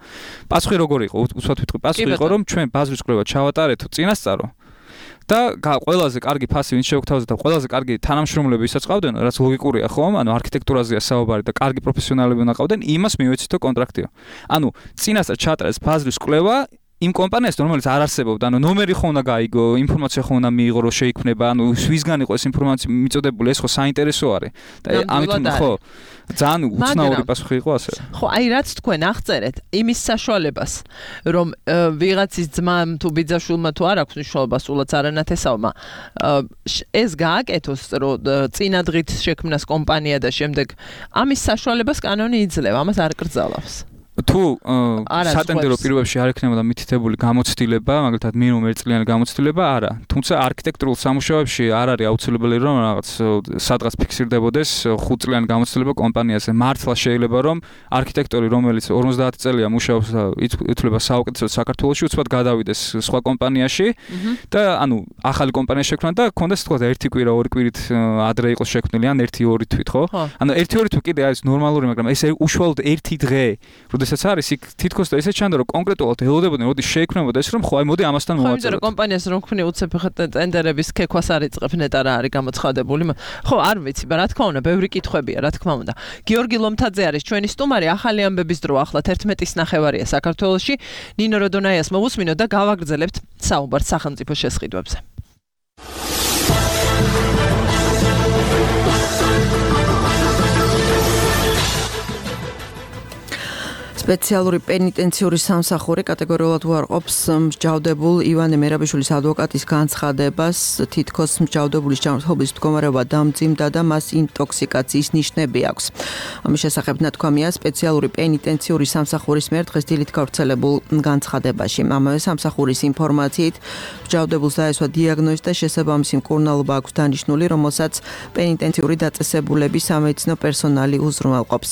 პასუხი როგორ იყო? უცბად ვიტყვი, პასუხი იყო, რომ ჩვენ ბაზრის კვლევა ჩავატარეთ წინასწარო. და ყველაზე კარგი ფასი ვინც შევგთავაზეთ და ყველაზე კარგი თანამშრომლები ვისაც ყავდნენ, რაც ლოგიკურია ხომ? ანუ არქიტექტურაზეა საუბარი და კარგი პროფესიონალები უნდა ყავდნენ, იმას მივეცითო კონტრაქტიო. ანუ წინასწარ ჩატრეს ბაზრის კვლევა იმ კომპანიასთან, რომელიც არ არსებობდა, ანუ ნომერი ხო უნდა გაიგო, ინფორმაცია ხო უნდა მიიღო, რომ შეიქმნება, ანუ ვისგან იყო ეს ინფორმაცია მიწოდებული, ეს ხო საინტერესო არის. და ამიტომ ხო ძალიან უცნაური პასუხი იყო ასე. ხო, აი რაც თქვენ აღწერეთ, იმის საშუალებას, რომ ვიღაცის ძმამ თუ ბიძაშვილმა თუ არ აქვს მნიშვნელობა, სულაც არანათესავმა, ეს გააკეთოს, რომ წინადღით შექმნას კომპანია და შემდეგ ამის საშუალებას კანონი იძლევა, ამას არ კრძალავს. თუ სატენდერო პირობებში არ ექნებოდა მითითებული გამოცდილება, მაგალითად მინიმუმ ერთწლიანი გამოცდილება, არა. თუმცა არქიტექტურულ სამუშაოებში არ არის აუცილებელი რომ რაღაც სადღაც ფიქსირდებოდეს ხუთწლიანი გამოცდილება კომპანიაზე. მართლა შეიძლება რომ არქიტექტორი, რომელიც ორმოცდაათი წელია მუშაობს და ითვლება საუკეთესოდ საქართველოში, უცბად გადავიდეს სხვა კომპანიაში და ანუ ახალი კომპანია შექმნა და ქონდეს თქვა ერთი კვირა, ორი კვირით ადრე იყოს შექმნილი, ან ერთი ორი თვით, ხო? ანუ ერთი ორი თვით კიდე არის ნორმალური, მაგრამ ეს უშუალოდ ერთი დღე როდესაც არის იქ თითქოს და ესე ჩანდა რომ კონკრეტულად ელოდებოდნენ როდის შეიქმნებოდა ეს რომ ხო აი მოდი ამასთან მოვაწეროთ. ხო, იმიტომ რომ კომპანიას რომ ხვნი უცებ ტენდერების ქექვას არ იწყებ ნეტა რა არის გამოცხადებული. ხო, არ ვიცი, რა თქმა უნდა, ბევრი კითხვებია, რა თქმა უნდა. გიორგი ლომთაძე არის ჩვენი სტუმარი, ახალი ამბების დრო ახლა თერთმეტის ნახევარია საქართველოში. ნინო როდონაიას მოვუსმინოთ და გავაგრძელებთ საუბარს სახელმწიფო შესყიდვებზე. სპეციალური პენიტენციური სამსახური კატეგორიულად უარყოფს მსჯავრდებულ ივანე მერაბიშვილის ადვოკატის განცხადებას, თითქოს მსჯავრდებულის ჯანმრთელობის მდგომარეობა დამძიმდა და მას ინტოქსიკაციის ნიშნები აქვს. ამის შესახებ ნათქვამია სპეციალური პენიტენციური სამსახურის მიერ დღეს დილით გავრცელებულ განცხადებაში. ამავე სამსახურის ინფორმაციით მსჯავრდებულს დაესვა დიაგნოზი და შესაბამისი მკურნალობა აქვს დანიშნული, რომელსაც პენიტენციური დაწესებულების სამედიცინო პერსონალი უზრუნველყოფს.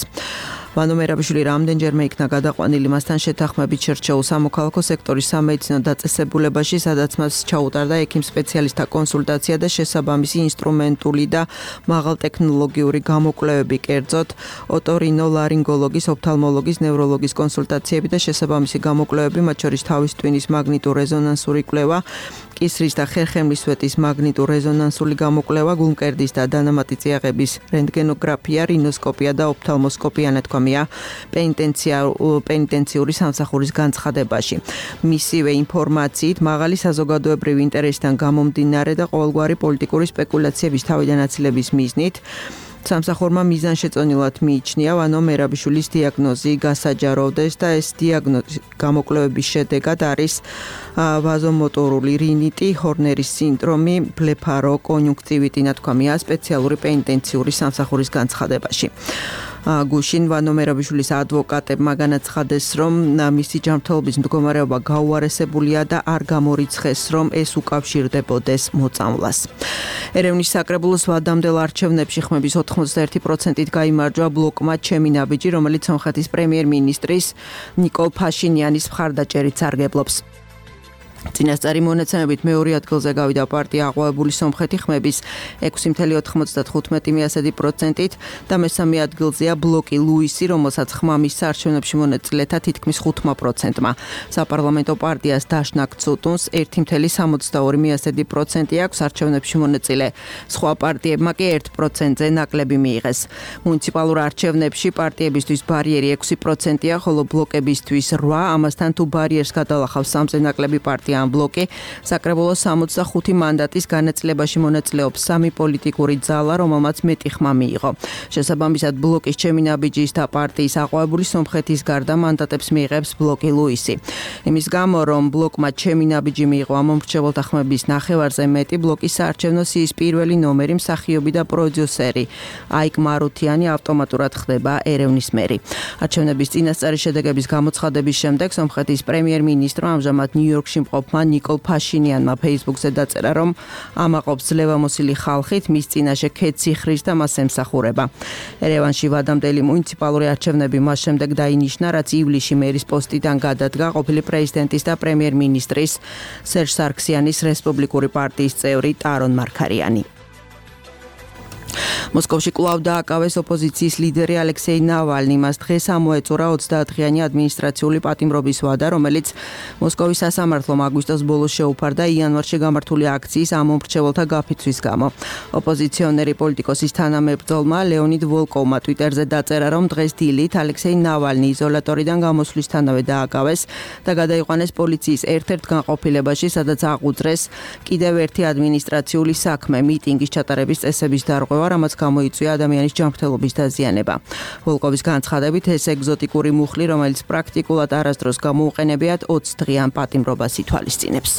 ვანო მერაბიშვილი რამდენჯერმე იქნა გადაყვანილი მასთან შეთანხმებით შერჩეულ სამოქალაქო სექტორის სამედიცინო დაწესებულებაში, სადაც მას ჩაუტარდა ექიმ სპეციალისტთა კონსულტაცია და შესაბამისი ინსტრუმენტული და მაღალტექნოლოგიური გამოკვლევები, კერძოდ ოტორინოლარინგოლოგის, ოფთალმოლოგის, ნევროლოგის კონსულტაციები და შესაბამისი გამოკვლევები, მათ შორის თავის ტვინის მაგნიტურ რეზონანსური კვლევა, კისრის და ხერხემლის სვეტის მაგნიტურ რეზონანსული გამოკვლევა, გულმკერდის და დანამატი წიაღების რენტგენოგრაფია, რინოსკოპია და ოფთალმოსკოპია ნათქვამია პენიტენციური სამსახურის განცხადებაში. მისივე ინფორმაციით მაღალი საზოგადოებრივი ინტერესიდან გამომდინარე და ყოველგვარი პოლიტიკური სპეკულაციების თავიდანაცილების მიზნით სამსახურმა მიზანშეწონილად მიიჩნია ვანო მერაბიშვილის დიაგნოზი გასაჯაროვდეს და ეს დიაგნოზი გამოკვლევების შედეგად არის ვაზომოტორული რინიტი, ჰორნერის სინდრომი, ბლეფაროკონიუნქტივიტი ნათქვამია სპეციალური პენიტენციური სამსახურის განცხადებაში. გუშინ ვანო მერაბიშვილის ადვოკატებმა განაცხადეს, რომ მისი ჯანმრთელობის მდგომარეობა გაუარესებულია და არ გამორიცხეს, რომ ეს უკავშირდებოდეს მოწამვლას. ერევნის საკრებულოს ვადამდელ არჩევნებში ხმების ოთხმოცდაერთი პროცენტით გაიმარჯვა ბლოკმა ჩემი ნაბიჯი, რომელიც სომხეთის პრემიერ-მინისტრის ნიკოლ ფაშინიანის მხარდაჭერით სარგებლობს. წინასწარი მონაცემებით მეორე ადგილზე გავიდა პარტია აყვავებული სომხეთი ხმების ექვსი კoma ოთხმოცდათხუთმეტი პროცენტით და მესამე ადგილზეა ბლოკი ლუისი, რომელსაც ხმამის საარჩევნებში მონაწილეთა თითქმის ხუთმა პროცენტმა. საპარლამენტო პარტიას დაშნაკ ცუტუნს ერთი კoma სამოცდაორი პროცენტი აქვს არჩევნებში მონაწილე. სხვა პარტიებმა კი ერთ პროცენტზე ნაკლები მიიღეს. მუნიციპალურ არჩევნებში პარტიებისთვის ბარიერი ექვსი პროცენტია, ხოლო ბლოკებისთვის რვა, ამასთან თუ ბარიერს გადალახავს სამზე ნაკლები პარტია ან ბლოკი, საკრებულოს სამოცდახუთი მანდატის განაწილებაში მონაწილეობს სამი პოლიტიკური ძალა, რომელმაც მეტი ხმა მიიღო. შესაბამისად, ბლოკის ჩემი ნაბიჯის და პარტიის აყვავებული სომხეთის გარდა მანდატებს მიიღებს ბლოკი ლუისი. იმის გამო, რომ ბლოკმა ჩემი ნაბიჯი მიიღო ამომრჩეველთა ხმების ნახევარზე მეტი, ბლოკის საარჩევნო სიის პირველი ნომერი, მსახიობი და პროდიუსერი აიკ მარუთიანი ავტომატურად ხდება ერევნის მერი. არჩევნების წინასწარი შედეგების გამოცხადების შემდეგ სომხეთის პრემიერ-მინისტრმა ამჟამად ნიუ-იორკში მყოფმა ნიკოლ ფაშინიანმა Facebook-ზე დაწერა, რომ ამაყობს ძლევამოსილი ხალხით, მის წინაშე ქეციხრის და მას ემსახურება. ერევანში ვადამდელი მუნიციპალური არჩევნები მას შემდეგ დაინიშნა, რაც ივლისში მერის პოსტიდან გადადგა ყოფილი პრეზიდენტის და პრემიერ-მინისტრის სერჟ სარქსიანის რესპუბლიკური პარტიის წევრი ტარონ მარქარიანი. მოსკოვში კვლავ დააკავეს ოპოზიციის ლიდერი ალექსეი ნავალნი. მას დღეს ამოეწურა ოცდაათღიანი ადმინისტრაციული პატიმრობის ვადა, რომელიც მოსკოვის სასამართლომ აგვისტოს ბოლოს შეუფარდა იანვარში გამართული აქციის ამომრჩეველთა გაფიცვის გამო. ოპოზიციონერი პოლიტიკოსის თანამებრძოლმა ლეონიდ ვოლკოვმა ტვიტერზე დაწერა, რომ დღეს დილით ალექსეი ნავალნი იზოლატორიდან გამოსვლისთანავე დააკავეს და გადაიყვანეს პოლიციის ერთ-ერთ განყოფილებაში, სადაც აღუძრეს კიდევ ერთი ადმინისტრაციული საქმე, მიტინგის ჩატარების წესების დარღვევა, რამაც გამოიწვია ადამიანის ჯანმრთელობის დაზიანება. ვოლკოვის განცხადებით, ეს ეგზოტიკური მუხლი, რომელიც პრაქტიკულად არასდროს გამოუყენებიათ, ოცი დღიან პატიმრობას ითვალისწინებს.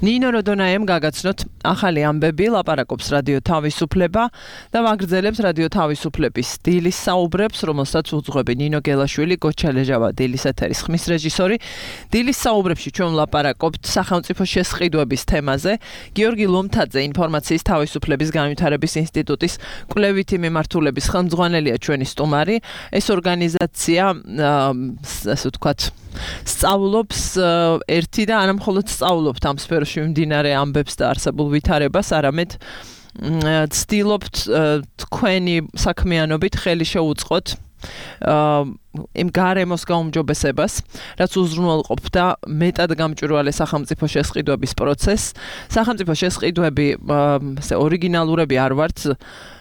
ნინო როდონაემ გაგაცნოთ ახალი ამბები, ლაპარაკობს რადიო თავისუფლება და ვაგრძელებს რადიო თავისუფლების დილის საუბრებს, რომელსაც უძღვები ნინო გელაშვილი, გოჩალეჟავა დილის ეთერის ხმის რეჟისორი. დილის საუბრებში ჩვენ ვლაპარაკობთ სახელმწიფო შესყიდვების თემაზე. გიორგი ლომთაძე, ინფორმაციის თავისუფლების განვითარების ინსტიტუტის კვლევითი მიმართულების ხელმძღვანელია ჩვენი სტუმარი. ეს ორგანიზაცია, ასე ვთქვათ, სწავლობს ერთი და არა მხოლოდ სწავლობთ ამ სფეროში მიმდინარე ამბებს და არსებულ ვითარებას, არამედ ცდილობთ თქვენი საქმიანობით ხელი შეუწყოთ იმ გარემოს გაუმჯობესებას, რაც უზრუნველყოფდა მეტად გამჭვირვალე სახელმწიფო შესყიდვების პროცესს. სახელმწიფო შესყიდვები ესე ორიგინალურები არ ვართ,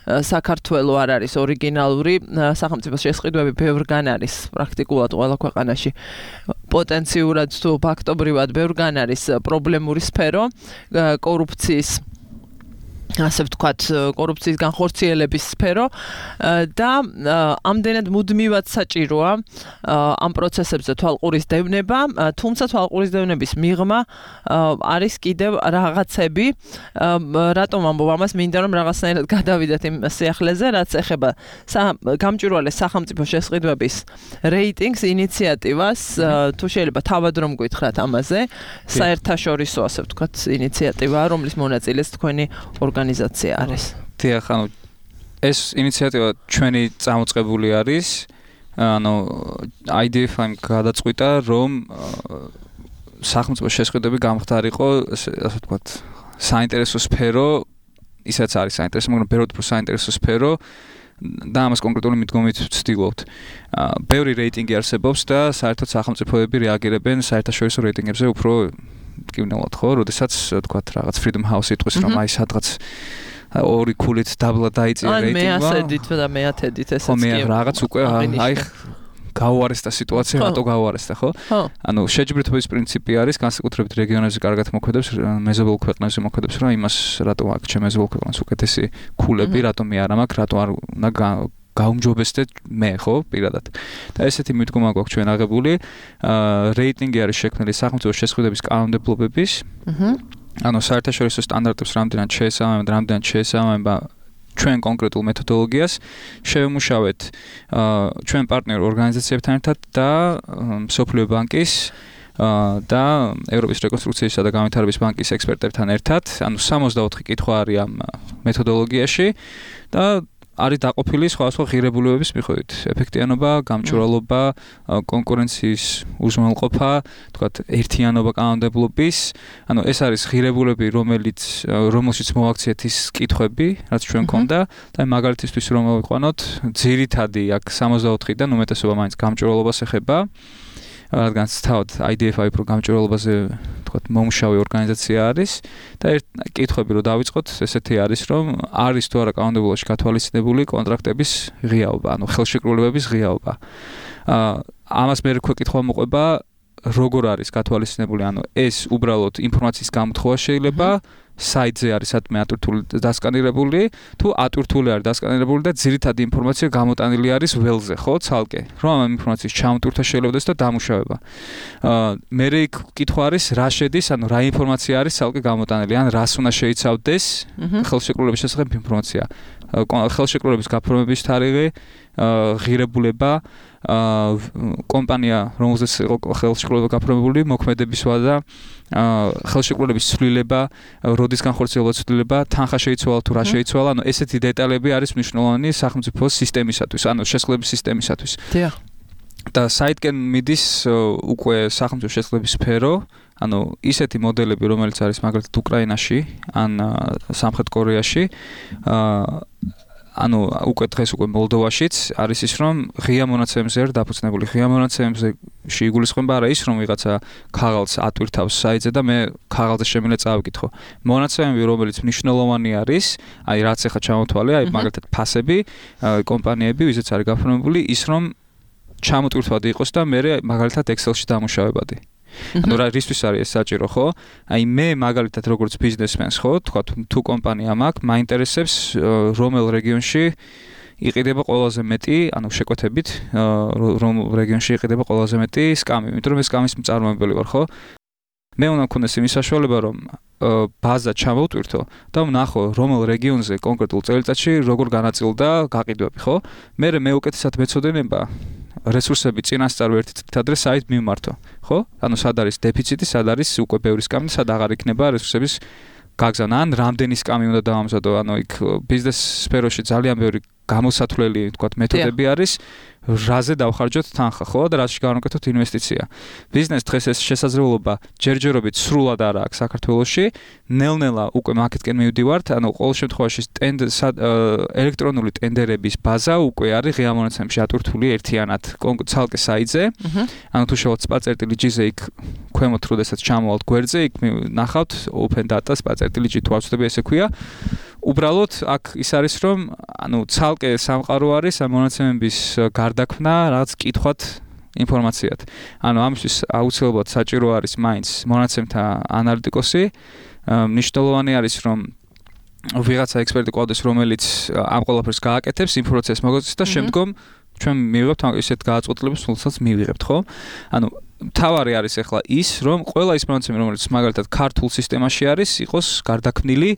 საქართველო არ არის ორიგინალური, სახელმწიფო შესყიდვები ბევრგან არის, პრაქტიკულად ყველა ქვეყანაში პოტენციურად თუ ფაქტობრივად ბევრგან არის პრობლემური სფერო, კორუფციის ასე ვთქვათ, კორუფციის განხორციელების სფერო და ამდენად მუდმივად საჭიროა ამ პროცესებზე თვალყურის დევნება, თუმცა თვალყურის დევნების მიღმა არის კიდევ რაღაცები, რატომ ამბობ ამას, მინდა რომ რაღაცნაირად გადავიდეთ იმ სიახლეზე, რაც ეხება გამჭვირვალე სახელმწიფო შესყიდვების რეიტინგს, ინიციატივას, თუ შეიძლება თავად რომ გითხრათ ამაზე, საერთაშორისო ასე ვთქვათ ინიციატივაა, რომლის მონაწილეც თქვენი ორგანიზაცია არის. დიახ, ანუ ეს ინიციატივა ჩვენი წამოწყებული არის, ანუ I D F-მ გადაწყვიტა, რომ სახელმწიფო შესყიდვები გამხდარიყო, ასე ვთქვათ, საინტერესო სფერო, ისაც არის საინტერესო, მაგრამ ბევრად უფრო საინტერესო სფერო და ამას კონკრეტული მიდგომით ვცდილობთ. ბევრი რეიტინგი არსებობს და საერთოდ სახელმწიფოები რეაგირებენ საერთაშორისო რეიტინგებზე უფრო მტკივნეულად, ხო? როდესაც ვთქვათ, რაღაც Freedom House იტყვის, რომ აი სადღაც ორი ქულით დაბლა დაიწია რეიტინგმა. ან მე ასედით და მე ათედით ესეც კი. ხო, მე რაღაც უკვე აი გაუარესდა სიტუაცია, რატო გაუარესდა, ხო? ანუ შეჯიბრებების პრინციპი არის, განსაკუთრებით რეგიონებზე კარგად მოქმედებს, მეზობელ ქვეყნებზე მოქმედებს, რომ იმას რატო აქ ჩემ მეზობელ ქვეყანას უკეთესი ქულები, რატო მე არ მაქვს, რატო არ უნდა გაუმჯობესდეთ მე, ხო, პირადად. და ესეთი მიდგომა გვაქვს ჩვენ აღებული. რეიტინგი არის შექმნილი სახელმწიფო შესყიდვების კანონმდებლობების. ანუ საერთაშორისო სტანდარტებს რამდენად შეესაბამება, რამდენად შეესაბამება ჩვენ კონკრეტულ მეთოდოლოგიას შევემუშავეთ ჩვენ პარტნიორ ორგანიზაციებთან ერთად და მსოფლიო ბანკის და ევროპის რეკონსტრუქციისა და განვითარების ბანკის ექსპერტებთან ერთად, ანუ სამოცდაოთხი კითხვა არის ამ მეთოდოლოგიაში და არის დაყოფილი სხვადასხვა ღირებულებების მიხედვით. ეფექტიანობა, გამჭვირვალობა, კონკურენციის უზრუნველყოფა, თქვათ, ერთიანობა კანონმდებლობის. ანუ ეს არის ღირებულები, რომელიც რომელშიც მოვაქციეთ ის კითხვები, რაც ჩვენ გქონდა და მაგალითისთვის რომ მოვიყვანოთ, ძირითადი აქ სამოცდაოთხიდან უმეტესობა მაინც გამჭვირვალობას ეხება. რადგან თავად I D F-ი უფრო გამჭვირვალობაზე, თქვათ, მომუშავე ორგანიზაცია არის და ერთ კითხვები რო დავიწყოთ, ესეთი არის, რომ არის თუ არა კანონმდებლობაში გათვალისწინებული კონტრაქტების ღიაობა, ანუ ხელშეკრულებების ღიაობა. აა ამას მე რკვეკითხვა მოყვება, როგორ არის გათვალისწინებული, ანუ ეს უბრალოდ ინფორმაციის გამოთხოვა შეიძლება, საიტზე არის სადმე ატვირთული დასკანირებული, თუ ატვირთული არის დასკანირებული და ძირითადი ინფორმაცია გამოტანილი არის ველზე, ხო, ცალკე. რომ ამ ინფორმაციის ჩამოტვირთვა შეიძლებადეს და დამუშავება. აა მე იქ კითხვა არის, რა შედის, ანუ რა ინფორმაცია არის ცალკე გამოტანილი, ან რას უნდა შეიცავდეს ხელშეკრულების შესახებ ინფორმაცია. ხელშეკრულების გაფორმების თარიღი, ღირებულება, კომპანია, რომელზეც იყო ხელშეკრულება გაფორმებული, მოქმედების ვადა, ხელშეკრულების ცვლილება, როდის განხორციელება ცვლილება, თანხა შეიცვალა თუ რა შეიცვალა, ანუ ესეთი დეტალები არის მნიშვნელოვანი სახელმწიფო სისტემისათვის, ანუ შესყიდვების სისტემისათვის. დიახ. და საიდგენ მიდის უკვე სახელმწიფო შესაძლებლობის სფერო, ანუ ისეთი მოდელები, რომელიც არის მაგალითად უკრაინაში ან სამხრეთ კორეაში, ანუ უკვე დღეს უკვე მოლდოვაშიც არის ის, რომ ღია მონაცემებზე არის დაფუძნებული. ღია მონაცემებზე შეიგულისხმება არა ის, რომ ვიღაცა ქაღალდს ატვირთავს საიტზე და მე ქაღალდზე შემიძლია წავიკითხო. მონაცემები, რომელიც მნიშვნელოვანი არის, აი რაც ახლა ჩამოთვალე, აი მაგალითად ფასები, კომპანიები, ვიზეც არის გაფორმებული, ის რომ ჩამოტვირთვადი იყოს და მე მაგალითად Excel-ში დამუშავებადი. ანუ რა რისთვის არის ეს საჭირო, ხო? აი მე მაგალითად როგორც ბიზნესმენს, ხო, თქვა თუ კომპანია მაქვს, მაინტერესებს რომელ რეგიონში იყიდება ყველაზე მეტი, ანუ შეკვეთებით, რომ რეგიონში იყიდება ყველაზე მეტი სკამი, იმიტომ რომ ეს სკამის მწარმოებელი ვარ, ხო? მე უნდა მქონდეს იმის საშუალება, რომ ბაზა ჩამოვტვირთო და ვნახო რომელ რეგიონზე კონკრეტულ წელიწადში როგორ განაწილდა გაყიდვები, ხო? მე მეუკეთესად მეცოდინება რესურსები წინასწარ ერთი წლით ადრე საით მიმართო, ხო? ანუ სად არის დეფიციტი, სად არის უკვე ბევრი სკამი, სად აღარ იქნება რესურსების გაგზავნა, ან რამდენი სკამი უნდა დავამზადო, ანუ იქ ბიზნეს სფეროში ძალიან ბევრი გამოსათვლელი, თქვათ, მეთოდები არის, რაზე დავხარჯოთ თანხა, ხო? და რაზეში გავაკეთოთ ინვესტიცია. ბიზნეს დღეს ეს შესაძლებლობა ჯერჯერობით სრულად არ აქვს საქართველოში, ნელ-ნელა უკვე მაკეტკენ მივდივართ, ანუ ყოველ შემთხვევაში ელექტრონული ტენდერების ბაზა უკვე არის ღია მონაცემებში ატვირთული ერთიანად ცალკე საიტზე. ანუ თუ შევოთ spa.gz-ზე იქ ქვემოთ როდესაც ჩამოვალთ გვერდზე, იქ ნახავთ open data spa.gz თუ ავწდები ესე ქვია. უბრალოდ აქ ის არის რომ ანუ ცალკე სამყარო არის ამ მონაცემების გარდაქმნა რაღაც კითხვათ ინფორმაციად. ანუ ამისთვის აუცილებლად საჭირო არის მაინც მონაცემთა ანალიტიკოსი. მნიშვნელოვანი არის რომ ვიღაცა ექსპერტი ყავდეს რომელიც ამ ყველაფერს გააკეთებს იმ პროცესს მოგწესს და შემდგომ ჩვენ მივიღებთ ისეთ გააწყოთლებას, რომელსაც მივიღებთ, ხო? ანუ თავარი არის ახლა ის, რომ ყველა ის მონაცემი, რომელიც მაგალითად ქართულ სისტემაში არის, იყოს გარდაქმნილი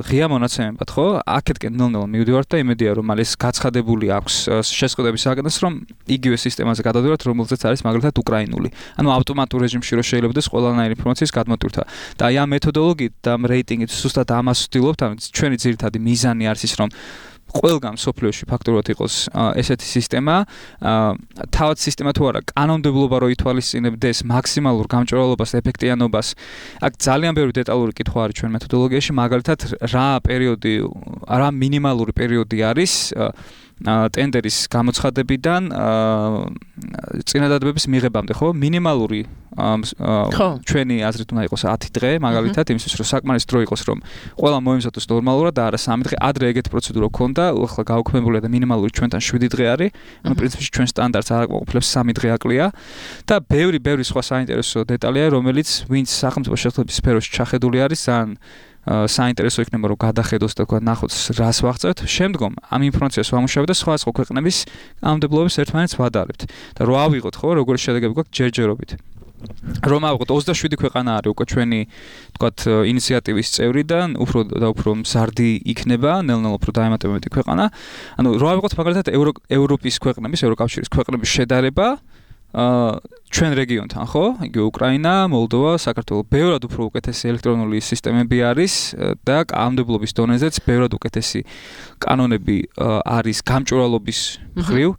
ღია მონაცემებად, ხო? აქეთკენ ნელ-ნელა მივდივართ და იმედია, რომ ეს გაცხადებული აქვს შესყიდვების საკითხს, რომ იგივე სისტემაზე გადავდივართ, რომელზეც არის მაგალითად უკრაინული. ანუ ავტომატურ რეჟიმში რო შეიძლებადეს ყველანაირი ინფორმაციის გადმოტვირთვა. და აი ამ მეთოდოლოგიით და ამ რეიტინგით სუსტად ამას ვცდილობთ, ანუ ჩვენი ძირითადი მიზანი არის ის, რომ ყველგან სოფლიოში ფაქტობრივად იყოს ესეთი სისტემა, თავად სისტემა თუ არა, კანონმდებლობა რო ითვალისწინებდეს მაქსიმალურ გამჭვირვალობას, ეფექტიანობას. აქ ძალიან ბევრი დეტალური კითხვა არის ჩვენ მეთოდოლოგიაში, მაგალითად რა პერიოდი, რა მინიმალური პერიოდი არის ტენდერის გამოცხადებიდან წინადადებების მიღებამდე, ხო? მინიმალური ჩვენი აზრით უნდა იყოს ათი დღე, მაგალითად, იმისთვის რომ საკმარის დრო იყოს, რომ ყველა მოემზადოს ნორმალურად და არა სამი დღე. ადრე ეგეთი პროცედურა ქონდა, ახლა გაუქმებულია და მინიმალური ჩვენთან შვიდი დღე არის. ანუ პრინციპში ჩვენ სტანდარტს არ აკმაყოფილებს სამი დღე აკლია და ბევრი ბევრი სხვა საინტერესო დეტალია, რომელიც ვინც სახელმწიფო შესაძლებლობის სფეროში ჩახედული არის, ძალიან საინტერესო იქნება რომ გადახედოს და თქვა ნახოთ რას ვაღწევთ. შემდგომ ამ ინფორმაციას ვამუშავებთ და სხვა სხვა ქვეყნების კანონმდებლობებს ერთმანეთს ვადარებთ. და რო ავიღოთ, ხო, როგორი შედეგები გვაქვს ჯერჯერობით. რომ ავიღოთ ოცდაშვიდი ქვეყანა არის უკვე ჩვენი თქვათ ინიციატივის წევრიდან, უფრო და უფრო მზარდი იქნება, ნელ-ნელა უფრო დაემატებოდი ქვეყანა. ანუ რო ავიღოთ მაგალითად ევროპის ქვეყნების, ევროკავშირის ქვეყნების შედარება აა ჩვენ რეგიონთან, ხო? იგივე უკრაინა, მოლდოვა, საქართველო, ბევრად უფრო უკეთესი ელექტრონული სისტემები არის და კანონმდებლობის დონეზეც ბევრად უკეთესი კანონები არის გამჭვირვალობის მხრივ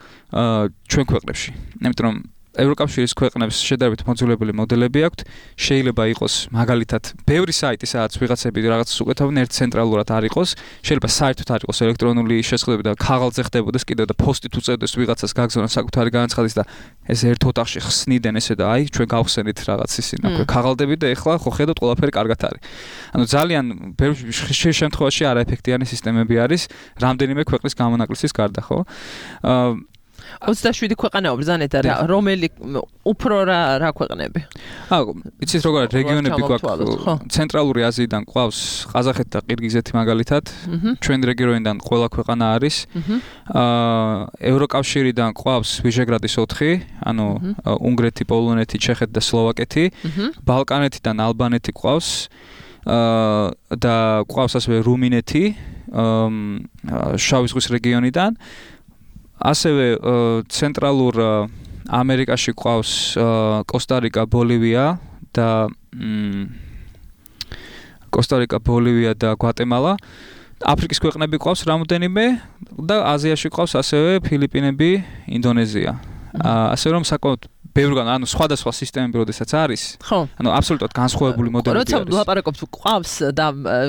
ჩვენ ქვეყნებში. იმიტომ რომ ევროკავშირის ქვეყნებს შედარებით მოძველებელი მოდელები აქვთ, შეიძლება იყოს მაგალითად ბევრი საიტი, სადაც ვიღაცები რაღაცას უკეთავენ, ერთ ცენტრალურად არ იყოს, შეიძლება საერთოდ არ იყოს ელექტრონული შესყიდვები და ქაღალდზე ხდებოდეს კიდევ და პოსტით უწევდეს ვიღაცას გაგზავნოს საკუთარი განაცხადის და ეს ერთ ოთახში ხსნიდნენ ესე და აი ჩვენ გავხსენით რაღაც ისინი აქვე ქაღალდები და ეხლა ხო ხედავთ ყველაფერი კარგად არის. ანუ ძალიან ბევრი შემთხვევაში არაეფექტიანი სისტემები არის რამდენიმე ქვეყნის გამონაკლისის გარდა, ხო? აა ოცდაშვიდი ქვეყანა ბრძანეთ რა რომელი უფრო რა რა ქვეყნები? აუ, იცით როგორ რეგიონები გვაქვს? ცენტრალური აზიიდან ყავს ყაზახეთი და ყირგიზეთი მაგალითად. ჩვენ რეგიონიდან ყველა ქვეყანა არის. აა ევროკავშირიდან ყავს ვიშეგრადის ოთხი, ანუ უნგრეთი, პოლონეთი, ჩეხეთი და სლოვაკეთი. ბალკანეთიდან ალბანეთი ყავს. აა და ყავს ასევე რუმინეთი, შავი ზღვის რეგიონიდან. ასევე ცენტრალურ ამერიკაში ყავს კოსტა-რიკა, ბოლივია და კოსტა-რიკა, ბოლივია და გვატემალა. აფრიკის ქვეყნები ყავს რამოდენიმე და აზიაში ყავს ასევე ფილიპინები, ინდონეზია. ასე რომ საკმაოდ ბევრგან ანუ სხვადასხვა სისტემები როდესაც არის ანუ აბსოლუტურად განსხვავებული მოდელები არის. როცა ლაპარაკობთ ყავს და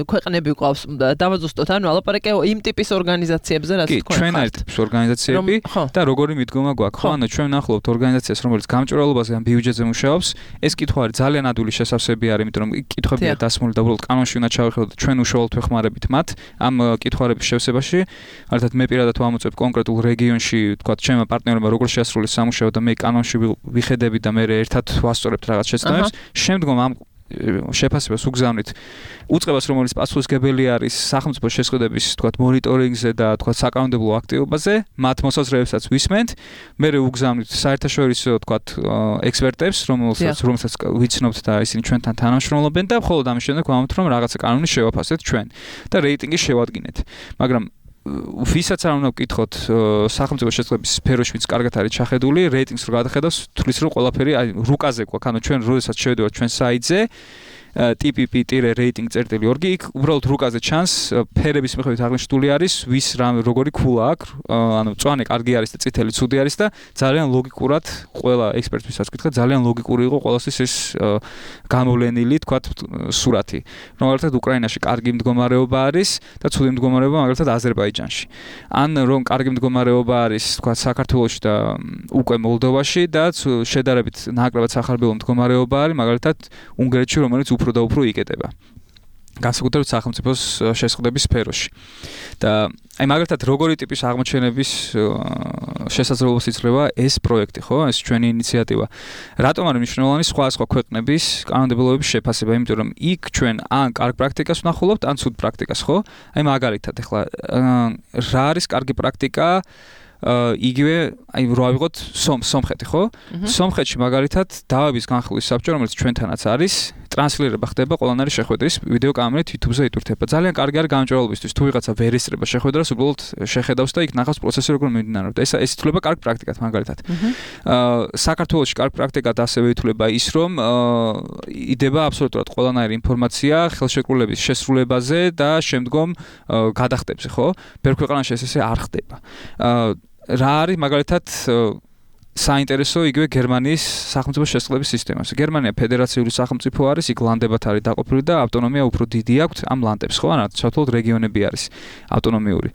ქვეყნები ყავს დავაზუსტოთ ანუ ლაპარაკე იმ ტიპის ორგანიზაციებზე რაც თქვენ ხართ. ჩვენ ერთ ტიპის ორგანიზაციები და როგორი მიდგომა გვაქვს ხო ანუ ჩვენ ვნახულობთ ორგანიზაციას რომელიც გამჭვირვალობაზე ან ბიუჯეტზე მუშაობს ეს კითხვა არის ძალიან ადვილი შესავსებები არის იმიტომ რომ კითხვებია დასმული და უბრალოდ კანონში უნდა ჩავეხლებოთ და ჩვენ უშუალოდ ვეხმარებით მათ ამ კითხვარების შევსებაში. მაგალითად მე პირადად ვამოწევ კონკრეტულ რეგიონში თქვა ჩემმა პარტნიორებმა როგორ შეასრულეს სამუშაო და მე კანონში ვიხედები და მე ერთად ვასწორებთ რაღაც შეცდომებს. შემდგომ ამ შეფასებას უგზავნით უწყებას რომელიც პასუხისმგებელი არის სახელმწიფო შესყიდვების თქვა მონიტორინგზე და თქვა საკანონმდებლო აქტივობაზე მათ მოსაზრებებსაც ვისმენთ. მე უგზავნით საერთაშორისო თქვა ექსპერტებს რომელსაც რომელსაც ვიცნობთ და ისინი ჩვენთან თანამშრომლობენ და მხოლოდ ამის შემდეგ ვამბობთ რომ რაღაცა კანონი შევაფასეთ ჩვენ და რეიტინგი შევადგინეთ. მაგრამ ვისაც არ უნდა ვკითხოთ სახელმწიფო შესყიდვების სფეროში ვინც კარგად არის ჩახედული რეიტინგს რო გადახედავს თulis რომ ყველაფერი აი რუკაზე გვაქვს ანუ ჩვენ როდესაც შევედივართ ჩვენ საიტზე tpp-rating.org იქ უბრალოდ რუკაზე ჩანს ფერების მიხედვით აღნიშნული არის ვის რამ როგორი ქულა აქვს ანუ მწვანე კარგი არის და წითელი ცუდი არის და ძალიან ლოგიკურად ყველა ექსპერტისას ვკითხე ძალიან ლოგიკური იყო ყველასთვის ეს გამოვლენილი თქვათ სურათი რომელთაც უკრაინაში კარგი მდგომარეობა არის და ცუდი მდგომარეობა მაგალითად აზერბაიჯანში ან რომ კარგი მდგომარეობა არის თქვათ საქართველოში და უკვე მოლდოვაში და შედარებით ნაკლებად სახარბელო მდგომარეობა არის მაგალითად უნგრეთში რომელიც უფრო და უფრო იკეტება. განსაკუთრებით სახელმწიფოს შესყიდვების სფეროში. და აი მაგალითად როგორი ტიპის აღმოჩენების შესაძლებლობას იძლევა ეს პროექტი, ხო? ეს ჩვენი ინიციატივა. რატომ არის მნიშვნელოვანი სხვა სხვა ქვეყნების კანონმდებლობების შეფასება, იმიტომ რომ იქ ჩვენ ან კარგ პრაქტიკას ვნახულობთ, ან ცუდ პრაქტიკას, ხო? აი მაგალითად ეხლა რა არის კარგი პრაქტიკა იგივე აი რო ავიღოთ სომხეთი ხო? სომხეთში მაგალითად დავების განხილვის საბჭო რომელიც ჩვენთანაც არის ტრანსლირება ხდება ყველანაირი შეხვედრის ვიდეო კამერით YouTube-ზე იტვირთება. ძალიან კარგი არის გამჭვირვალობისთვის თუ ვიღაცა ვერ ესწრება შეხვედრას უბრალოდ შეხედავს და იქ ნახავს პროცესი როგორ მიმდინარეობს და ეს ეს ითვლება კარგ პრაქტიკად მაგალითად. აა საქართველოში კარგ პრაქტიკად ასევე ითვლება ის რომ იდება აბსოლუტურად ყველანაირი ინფორმაცია ხელშეკრულების შესრულებაზე და შემდგომ გადახდებზე ხო? ბევრ ქვეყანაში ეს ესე არ ხდება. აა რა არის მაგალითად საინტერესო იგივე გერმანიის სახელმწიფო შესყიდვების სისტემას. გერმანია ფედერაციული სახელმწიფო არის, იქ ლანდებად არის დაყოფილი და ავტონომია უფრო დიდი აქვს ამ ლანდებს, ხო? ანუ საერთოდ რეგიონები არის ავტონომიური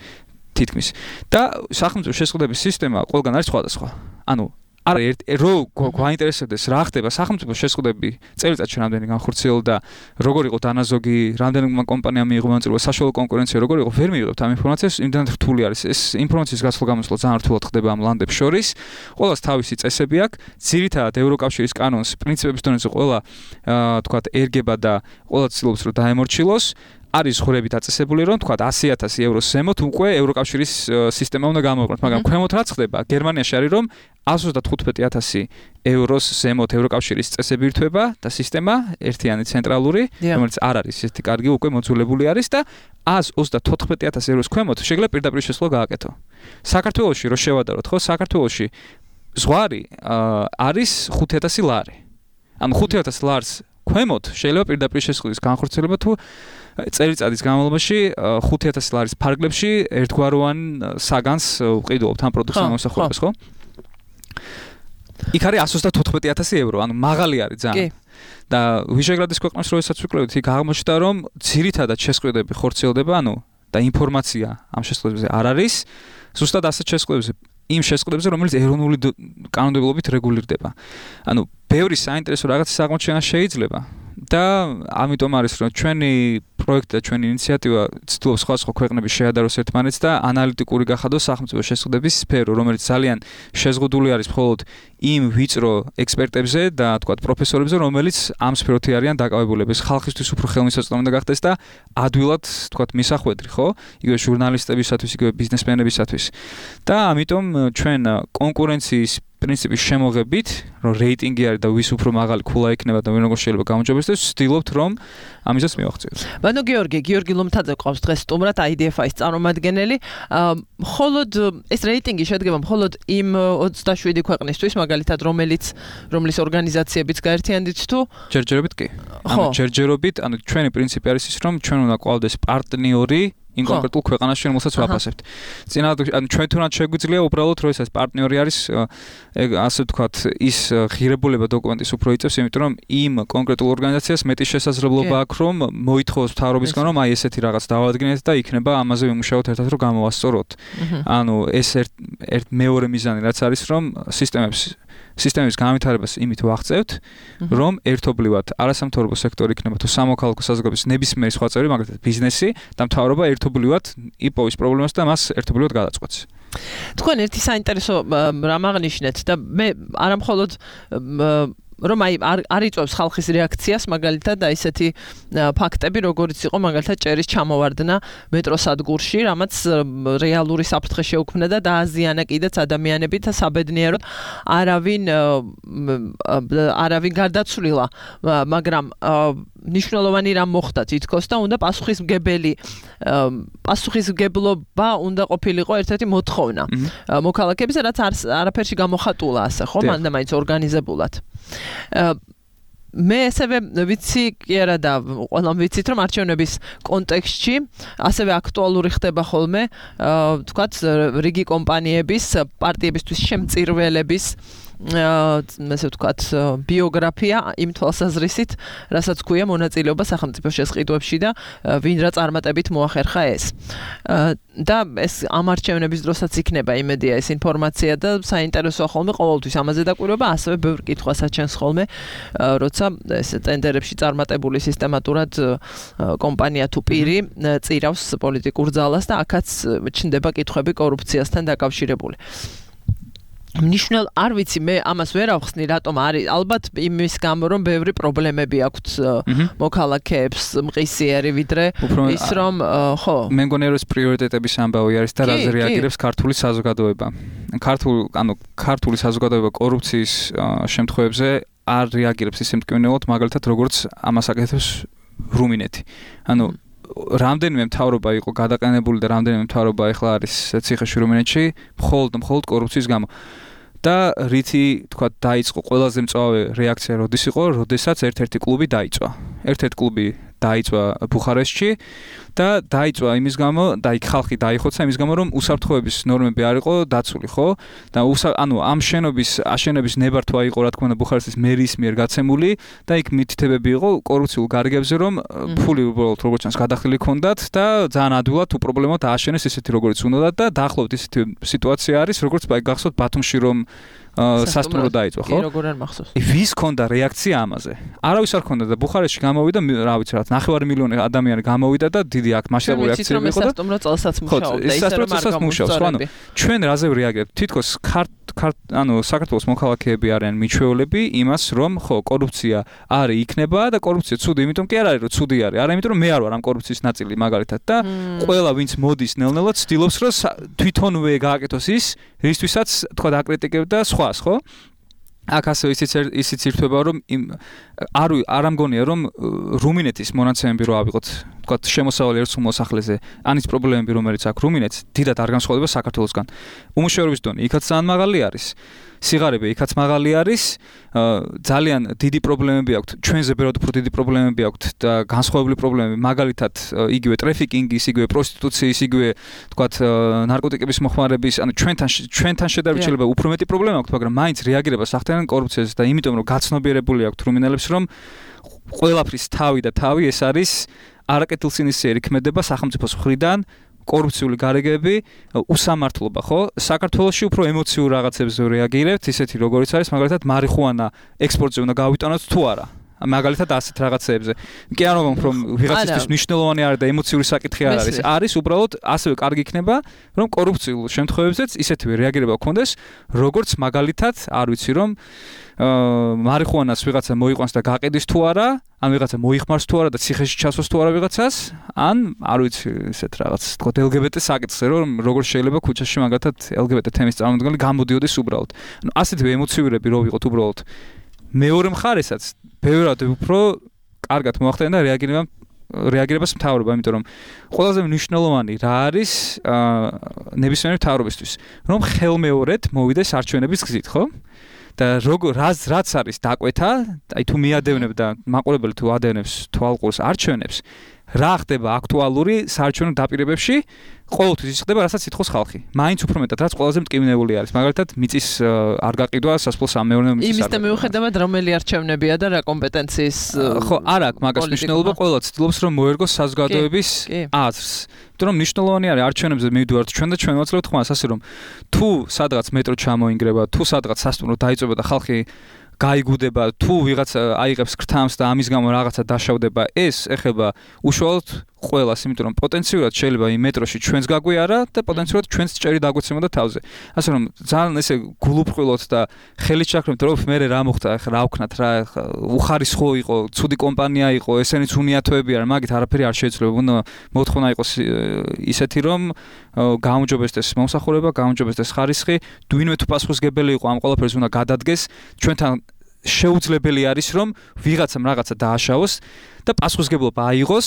თითქმის. და სახელმწიფო შესყიდვების სისტემა ყველგან არის სხვადასხვა. ანუ არა ერთ რო გვაინტერესებდეს რა ხდება სახელმწიფო შესყიდვები წელიწადში რამდენი განხორციელდა და როგორ იყო დანაზოგი, რამდენმა კომპანიამ მიიღო მონაწილეობა საშუალო კონკურენცია, როგორ იყო ვერ მიიღებთ ამ ინფორმაციას, იმდანაც რთული არის. ეს ინფორმაციის გასვლა-გამოსვლა ძალიან რთულად ხდება ამ ლანდებს შორის. ყველას თავისი წესები აქვს. ძირითადად ევროკავშირის კანონს პრინციპების დონეზე ყველა თქვათ ერგება და ყველა ცდილობს რომ დაემორჩილოს. არის ხურები დაწესებული რომ თქვათ ასი ათასი ევროს ზემოთ უკვე ევროკავშირის სისტემა უნდა გამოიყენოს, მაგრამ ქვემოთ რაც ხდება, გერმანიაში არის რომ εκατს ოცდათხუთმეტი ათასი ევროს ზემოთ ევროკავშირის წესები ირთვება და სისტემა ერთიანი ცენტრალური, რომელიც არ არის ესეთი კარგი უკვე მოძულებული არის და εκατს ოცდათოთხმეტი ათასი ევროს ქვემოთ შეიძლება პირდაპირ შესვლა გააკეთო. საქართველოში რო შევადაროთ, ხო, საქართველოში ზღვარი არის ხუთი ათასი ლარი. ანუ ხუთი ათასი ლარს ქვემოთ შეიძლება პირდაპირ შესვლის განხორციელება თუ წელიწადის განმავლობაში ხუთი ათასი ლარის ფარგლებში ერთგვაროვან საგანს ვყიდულობთ ამ პროდუქტს ამოსახულებას, ხო? იქ არის εκατს ოცდათოთხმეტი ათასი ევრო, ანუ მაღალი არის ძალიან. და ვიშეგრადის ქვეყნებს როდესაც ვიკვლევთ, იქ აღმოჩნდა რომ ძირითადად შესყიდვები ხორციელდება, ანუ და ინფორმაცია ამ შესყიდვებზე არ არის, ზუსტად ასეთ შესყიდვებზე იმ შესყიდვებზე, რომელიც ეროვნული კანონმდებლობით რეგულირდება. ანუ ბევრი საინტერესო რაღაცის აღმოჩენა შეიძლება და ამიტომ არის რომ ჩვენი პროექტი და ჩვენი ინიციატივა ცდილობს სხვადასხვა ქვეყნების შეადაროს ერთმანეთს და ანალიტიკური გახადოს სახელმწიფო შესყიდვების სფერო, რომელიც ძალიან შეზღუდული არის მხოლოდ იმ ვიწრო ექსპერტებზე და თქვათ პროფესორებზე, რომელიც ამ სფეროთი არიან დაკავებულები. ეს ხალხისთვის უფრო ხელმისაწვდომი უნდა გახდეს და ადვილად თქვათ მისახვედრი, ხო? იგივე ჟურნალისტებისათვის, იგივე ბიზნესმენებისათვის. და ამიტომ ჩვენ კონკურენციის პრინციპის შემოღებით, რომ რეიტინგი არის და ვის უფრო მაღალი ქულა იქნება და ვინ როგორ შეიძლება გამოჯობესდეს, ვცდილობთ რომ ამისაც მივახციოთ. ბანო გიორგი, გიორგი ლომთაძე ყავს დღეს სტუმრად აი დი ეფ აის წარმომადგენელი. მხოლოდ ეს რეიტინგი შედგება მხოლოდ იმ ოცდაშვიდი ქვეყნისთვის, მაგალითად, რომელიც რომლის ორგანიზაციებიც გაერთიანდით თუ ჯერჯერობით კი. ანუ ჯერჯერობით, ანუ ჩვენი პრინციპი არის ის, რომ ჩვენ უნდა გვყავდეს პარტნიორი იმ კონკრეტულ ქვეყანაში, რომელსაც ვაფასებთ. წინათ ანუ ჩვენ თუნდაც შეგვიძლია უბრალოდ რომ ეს პარტნიორი არის, ასე ვთქვათ, ის ღირებულება დოკუმენტის უფრო იწევს, იმიტომ რომ იმ კონკრეტულ ორგანიზაციას მეტი შესაძლებლობა აქვს, რომ მოითხოვოს მთავრობისგან, რომ აი ესეთი რაღაც დავადგინეთ და იქნება ამაზე ვიმუშაოთ ერთად, რომ გამოვასწოროთ. ანუ ეს ერთ ერთ მეორე მიზანი რაც არის, რომ სისტემებს სისტემის განვითარებას იმით ვაღწევთ, რომ ერთობლივად არასამთავრობო სექტორი იქნება თუ სამოქალაქო საზოგადოების ნებისმიერი სხვა წევრი, მაგალითად ბიზნესი და მთავრობა ერთობლივად იპოვის პრობლემას და მას ერთობლივად გადაწყვეტს. თქვენ ერთი საინტერესო რამ აღნიშნეთ და მე არამხოლოდ რომ აი არ იწვევს ხალხის რეაქციას მაგალითად და ისეთი ფაქტები როგორიც იყო მაგალითად ჭერის ჩამოვარდნა მეტროსადგურში, რამაც რეალური საფრთხე შეუქმნა და დააზიანა კიდეც ადამიანებით და საბედნიეროდ არავინ არავინ გარდაცვლილა, მაგრამ ნიშნულოვანი რამ მოხდა თითქოს და უნდა პასუხისმგებელი პასუხისმგებლობა უნდა ყოფილიყო ერთ-ერთი მოთხოვნა მოქალაქეებზე, რაც არაფერში გამოხატულა ასე ხო, მანდა მაინც ორგანიზებულად. მე ასევე ვიცი კი არა და ყველამ ვიცით რომ არჩევნების კონტექსტში ასევე აქტუალური ხდება ხოლმე თქვათ რიგი კომპანიების პარტიებისთვის შემწირველების ასე ვთქვათ ბიოგრაფია იმ თვალსაზრისით, რასაც ქვია მონაწილეობა სახელმწიფო შესყიდვებში და ვინ რა წარმატებით მოახერხა ეს. და ეს ამ არჩევნების დროსაც იქნება იმედია ეს ინფორმაცია და საინტერესოა ხოლმე ყოველთვის ამაზე დაკვირვება, ასევე ბევრ კითხვას აჩენს ხოლმე, როცა ეს ტენდერებში წარმატებული სისტემატურად კომპანია თუ პირი წირავს პოლიტიკურ ძალას და აქაც ჩნდება კითხვები კორუფციასთან დაკავშირებული. ნიშნულ არ ვიცი მე ამას ვერ ავხსნი რატომ არის ალბათ იმის გამო რომ ბევრი პრობლემები აქვთ მოქალაქეებს მყისიერი ვიდრე ის რომ ხო მე მგონი რომ ეს პრიორიტეტების ამბავი არის და რაზე რეაგირებს ქართული საზოგადოება ქართულ ანუ ქართული საზოგადოება კორუფციის შემთხვევებზე არ რეაგირებს ისე მტკივნეულად მაგალითად როგორც ამას აკეთებს რუმინეთი ანუ რამდენიმე მთავრობა იყო გადაყენებული და რამდენიმე მთავრობა ახლა არის ციხეში რუმინეთში მხოლოდ მხოლოდ კორუფციის გამო და რითი თქვა დაიწყო ყველაზე მწვავე რეაქცია როდის იყო როდესაც ერთ-ერთი კლუბი დაიწვა ერთ-ერთი კლუბი დაიწვა ბუხარესტში და დაიწვა იმის გამო და იქ ხალხი დაიხოცა იმის გამო რომ უსაფრთხოების ნორმები არ იყო დაცული ხო და ანუ ამ შენობის აშენების ნებართვა იყო რა თქმა უნდა ბუხარესტის მერის მიერ გაცემული და იქ მითითებები იყო კორუფციულ გარიგებზე რომ ფული უბრალოდ როგორც ჩანს გადახდილი ჰქონდათ და ძალიან ადვილად თუ პრობლემა დააშენეს ისეთი როგორც უნდათ და დაახლოებით ისეთი სიტუაცია არის როგორც გახსოვთ ბათუმში რომ სასტუმრო დაიწვა ხო? კი, როგორ არ მახსოვს. ვის ქონდა რეაქცია ამაზე? არავის არ ქონდა და ბუხარესტში გამოვიდა, რა ვიცი რა, ნახევარი მილიონი ადამიანი გამოვიდა და დიდი აქ მასშტაბური აქციები იყო და სასტუმრო წელსაც მუშაობდა, ისე რომ არ გამოსწორებია. ანუ ჩვენ რაზე რეაგირებთ? თითქოს ქართ ანუ საქართველოს მოქალაქეები არიან მიჩვეულები იმას, რომ ხო, კორუფცია არის იქნება და კორუფცია ცუდი, იმიტომ კი არ არის რომ ცუდი არის, არა იმიტომ რომ მე არ ვარ ამ კორუფციის ნაწილი მაგალითად და ყველა ვინც მოდის ნელ-ნელა ცდილობს რომ თვითონვე გააკეთოს ის, რისთვისაც თქვა აკრიტიკებდა სხვა ხო? აქ ასე ისიც ისიც ირთვება რომ არ არ ამგონია რომ რუმინეთის მონაცემები რო ავიღოთ თქვა შემოსავალი ერთ მოსახლეზე ანის პრობლემები რომელიც აქვს რუმინეთს დიდად არ განსხვავდება საქართველოსგან უმუშევრობის დონე იქაც ძალიან მაღალი არის სიღარიბე იქაც მაღალი არის ძალიან დიდი პრობლემები აქვს ჩვენზე ბევრად უფრო დიდი პრობლემები აქვს და განსხვავებული პრობლემები მაგალითად იგივე ტრაფიკინგის იგივე პროსტიტუციის იგივე თქვათ ნარკოტიკების მოხმარების ანუ ჩვენთან ჩვენთან შედარებით შეიძლება უფრო მეტი პრობლემა აქვს მაგრამ მაინც რეაგირებას ახდენენ კორუფციაზე და იმიტომ რომ გაცნობიერებული აქვს რუმინელებს რომ ყველაფრის თავი და თავი ეს არის არაკეთილსინისიერი ქმედება სახელმწიფოს მხრიდან კორუფციული გარიგები, უსამართლობა, ხო? საქართველოში უფრო ემოციურ რაღაცებზე რეაგირებთ, ისეთი როგორიც არის, მაგალითად, მარიხუანა ექსპორტზე უნდა გავიტანოთ თუ არა. მაგალითად ასეთ რაღაცებზე. კი არ ვამბობ, რომ ვიღაცისთვის მნიშვნელოვანი არის და ემოციური საკითხი არ არის. არის უბრალოდ ასევე კარგი იქნება, რომ კორუფციულ შემთხვევებზეც ისეთივე რეაგირება გქონდეს, როგორც მაგალითად, არ ვიცი რომ მარიხუანას ვიღაცა მოიყვანს და გაყიდის თუ არა, ან ვიღაცა მოიხმარს თუ არა და ციხეში ჩასვას თუ არა ვიღაცას, ან არ ვიცი ესეთ რაღაც თქო ელ ჯი ბი ტი საკითხზე რომ როგორ შეიძლება ქუჩაში მაგათად ელ ჯი ბი ტი თემის წარმომადგენელი გამოდიოდეს უბრალოდ. ანუ ასეთივე ემოციურები რო ვიყოთ უბრალოდ მეორე მხარესაც ბევრად უფრო კარგად მოახდინა და რეაგირება რეაგირებას მთავრობა, იმიტომ რომ ყველაზე მნიშვნელოვანი რა არის ნებისმიერი მთავრობისთვის, რომ ხელმეორედ მოვიდეს არჩევნების გზით, ხო? და როგორ რაც რაც არის დაკვეთა, აი თუ მიადევნებ და მაყურებელი თუ ადევნებს თვალყურს არჩევნებს, რა ხდება აქტუალური საარჩევნო დაპირებებში ყოველთვის ის ხდება, რასაც ითხოვს ხალხი. მაინც უფრო მეტად რაც ყველაზე მტკივნეული არის. მაგალითად, მიწის არ გაყიდვა სასოფლო სამეურნეო მიწის. იმის და მიუხედავად რომელი არჩევნებია და რა კომპეტენციის ხო, არ აქვს მაგას მნიშვნელობა, ყველა ცდილობს რომ მოერგოს საზოგადოების აზრს. იმიტომ რომ მნიშვნელოვანი არის არჩევნებზე მივიდივართ ჩვენ და ჩვენ ვაცლებთ ხმას ასე რომ თუ სადღაც მეტრო ჩამოინგრება, თუ სადღაც სასტუმრო დაიწובה და ხალხი გაიგუდება, თუ ვიღაც აიღებს ქრთამს და ამის გამო რაღაცა დაშავდება, ეს ეხება უშუალოდ ყველას, იმიტომ რომ პოტენციურად შეიძლება იმ მეტროში ჩვენს გაგვიარა და პოტენციურად ჩვენს ჭერი დაგვეცემოდა თავზე. ასე რომ ძალიან ესე გულუფრხილოთ და ხელით ჩაქრებთ, რომ მე რა მოხდა, ახლა რა ვქნათ, რა უხარისხო იყო, ცუდი კომპანია იყო, ესენიც უნიათოები არ, მაგით არაფერი არ შეიძლება. უნდა მოთხოვნა იყოს ისეთი, რომ გაუმჯობესდეს მომსახურება, გაუმჯობესდეს ხარისხი, ვინმე თუ პასუხისმგებელი იყო ამ ყველაფერს უნდა გადადგეს, ჩვენთან შეუძლებელი არის რომ ვიღაცამ რაღაცა დააშავოს და პასუხისმგებლობა აიღოს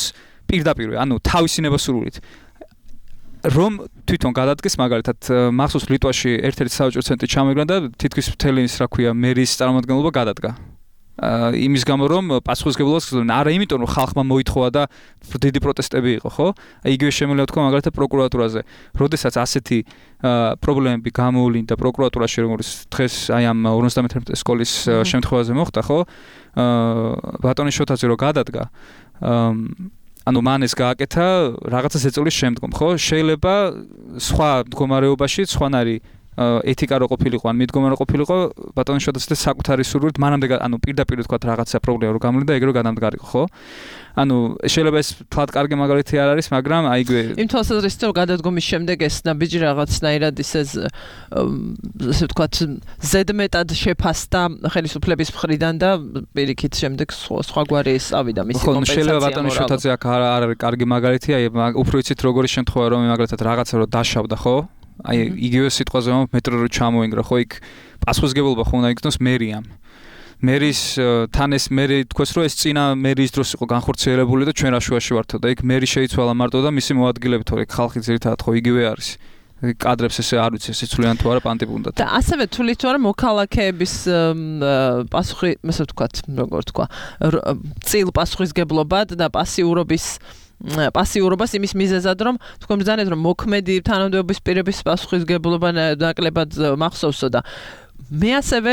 პირდაპირ, ანუ თავისინება სურვილით. რომ თვითონ გადადგეს მაგალითად მახსოვს ლიტვაში ერთ-ერთი საავაჭრო ცენტრი ჩამოიგრა და თითქმის მთელი ის რა ქვია მერის წარმომადგენლობა გადადგა. იმის გამო რომ პასუხისმგებლობას გრძნობდნენ. არა იმიტომ რომ ხალხმა მოითხოვა და დიდი პროტესტები იყო, ხო? იგივე შემიძლია თქვა მაგალითად პროკურატურაზე. როდესაც ასეთი პრობლემები გამოვლინდა პროკურატურაში, როგორც დღეს აი ამ ორმოცდამეტი სკოლის შემთხვევაზე მოხდა, ხო? ბატონი შოთაძე რო გადადგა, ანუ მან ეს გააკეთა რაღაცა ზეწოლის შემდგომ, ხო? შეიძლება სხვა მდგომარეობაში სხვანაირი ეთიკა რო ყოფილიყო, ან მიდგომა რო ყოფილიყო, ბატონი შოთაძე საკუთარი სურვილით მანამდე, ანუ პირდაპირ თქვა რაღაცა პრობლემა რო გამოვიდა, ეგ რო გადამდგარიყო, ხო? ანუ შეიძლება ეს თვალ კარგი მაგალითი არ არის, მაგრამ აიგვე იმ თვალსაზრისით რომ გადადგომის შემდეგ ეს ნაბიჯი რაღაცნაირად ისე ესე ვთქვათ ზედმეტად შეფასდა ხელისუფლების მხრიდან და პირიქით შემდეგ სხვაგვარი ეს ავიდა მისი კომპენსაცია. ხო, შეიძლება ბატონი შოთაძე აქ არ არის კარგი მაგალითი, აი უფრო იცით როგორი შემთხვევა რომ მაგალითად რაღაცა რო დაშავდა, ხო? აი იგივე სიტყვაზე რომ მეტრო რო ჩამოინგრა, ხო, იქ პასუხისმგებლობა ხო უნდა იქნოს მერიამ. მერის თან ეს მერი თქვეს რომ ეს წინა მერის დროს იყო განხორციელებული და ჩვენ რა შუაში ვართო და იქ მერი შეიცვალა მარტო და მისი მოადგილეები თორე ხალხი ძირითადად ხო იგივე არის. კადრებს ესე არ ვიცი ესე ცვლიან თუ არა პანტი უნდა. და ასევე თulit თუ არა მოქალაქეების პასუხი, ასე ვთქვათ, როგორ თქვა, წილ პასუხისმგებლობად და პასიურობის პასიურობას იმის მიზეზად რომ თქვენ ბრძანეთ რომ მოქმედი თანამდებობის პირების პასუხისმგებლობა ნაკლებად მახსოვსო და მე ასევე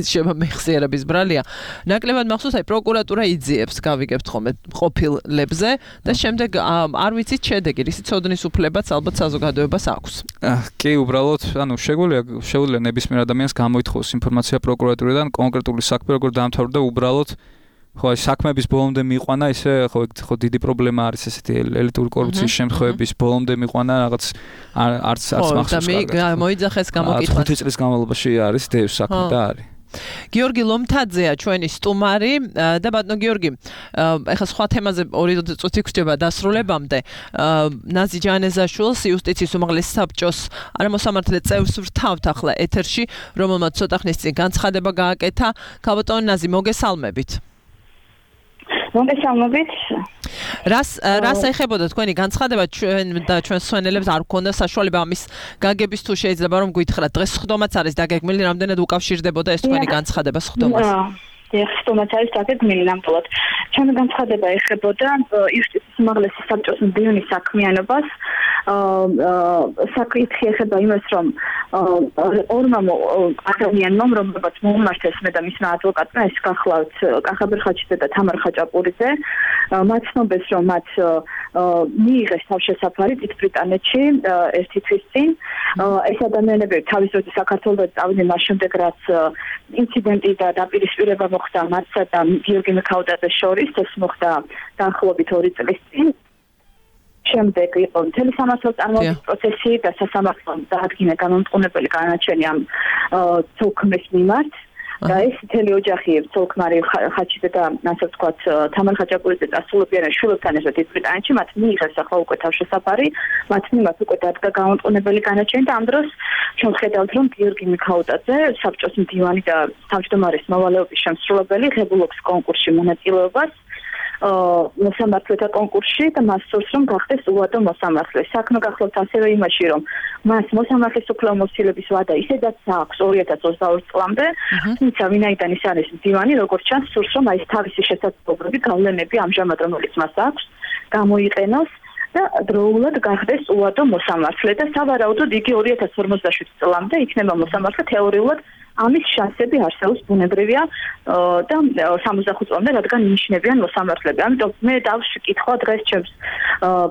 შეიძლება მეხსიერების ბრალია ნაკლებად მახსოვს აი პროკურატურა იძიებს გავიგებთ ხოლმე ყოფილებზე და შემდეგ არ ვიცით შედეგი რისი ცოდნის უფლებაც ალბათ საზოგადოებას აქვს. კი უბრალოდ ანუ შეგვიძლია შეგვიძლია ნებისმიერ ადამიანს გამოითხოვოს ინფორმაცია პროკურატურიდან კონკრეტული საქმე როგორ დაამთავრდა უბრალოდ ხო აი საქმეების ბოლომდე მიიყვანა ისე ხო ხო დიდი პრობლემა არის ესეთი ელიტური კორუფციის შემთხვევების ბოლომდე მიიყვანა რაღაც არც არც მახსოვს კარგად. და მე მოიძახეს გამოკითხვა. ხუთი წლის განმავლობაში არის დევს საქმე და არის. გიორგი ლომთაძეა ჩვენი სტუმარი და ბატონო გიორგი, ეხლა სხვა თემაზე ორი წუთი გვჭირდება დასრულებამდე. ნაზი ჯანეზაშვილს იუსტიციის უმაღლესი საბჭოს არამოსამართლე წევრს ვრთავთ ახლა ეთერში, რომელმაც ცოტა ხნის წინ განცხადება გააკეთა. ქალბატონო ნაზი, მოგესალმებით. მოგესალმებით. რას რას ეხებოდა თქვენი განცხადება ჩვენ და ჩვენს მსმენელებს არ გქონდა საშუალება ამის გაგების თუ შეიძლება რომ გითხრათ დღეს სხდომაც არის დაგეგმილი რამდენად უკავშირდებოდა ეს თქვენი განცხადება სხდომას? დიახ, სხდომაც არის დაგეგმილი ნამდვილად. ჩვენი განცხადება ეხებოდა იუსტიციის უმაღლესი საბჭოს მდივნის საქმიანობას. საკითხი ეხება იმას, რომ ორმა ადამიანმა, რომელმაც მოუმართეს მე და მისმა ადვოკატმა, ეს გახლავთ კახაბერ ხაჩიძე და თამარ ხაჭაპურიძე, მათ ცნობეს, რომ მათ მიიღეს თავშესაფარი დიდ ბრიტანეთში ერთი თვის წინ. ეს ადამიანები თავის დროზე საქართველოს წავიდნენ მას შემდეგ, რაც ინციდენტი და დაპირისპირება მოხდა მათსა და გიორგი მიქაუტაძეს შორის, ეს მოხდა დაახლოებით ორი წლის წინ. შემდეგ იყო მთელი სამართლის წარმოების პროცესი და სასამართლომ დაადგინა განმტყუნებელი განაჩენი ამ ცოლქმრის მიმართ. და ეს მთელი ოჯახი ცოლქმარი ხაჩიძე და ასე ვთქვათ თამარ ხაჭაპურიძე დასრულებიან შვილებთან ერთად დიდ ბრიტანეთში, მათ მიიღეს ახლა უკვე თავშესაფარი, მათ მიმართ უკვე დადგა განმტყუნებელი განაჩენი და ამ დროს ჩვენ ხედავთ რომ გიორგი მიქაუტაძე საბჭოს მდივანი და თავმჯდომარის მოვალეობის შემსრულებელი ღებულობს კონკურსში მონაწილეობას მოსამართლეთა კონკურსში და მას სურს რომ გახდეს უვადო მოსამართლე. საქმე გახლავთ ასევე იმაში, რომ მას მოსამართლის უფლებამოსილების ვადა ისედაც აქვს ორი ათას ოცდაორი წლამდე, თუმცა ვინაიდან ის არის მდივანი, როგორც ჩანს, სურს რომ აი თავისი შესაძლებლობები, გავლენები ამჟამად რომელიც მას აქვს, გამოიყენოს და დროულად გახდეს უადო მოსამართლე და სავარაუდოდ იგი ორი ათას ორმოცდაშვიდ წლამდე იქნება მოსამართლე თეორიულად ამის შანსები არსებობს ბუნებრივია და სამოცდახუთ წლამდე რადგან ინიშნებიან მოსამართლეები. ამიტომ მე დავშკითხვა დღეს ჩემს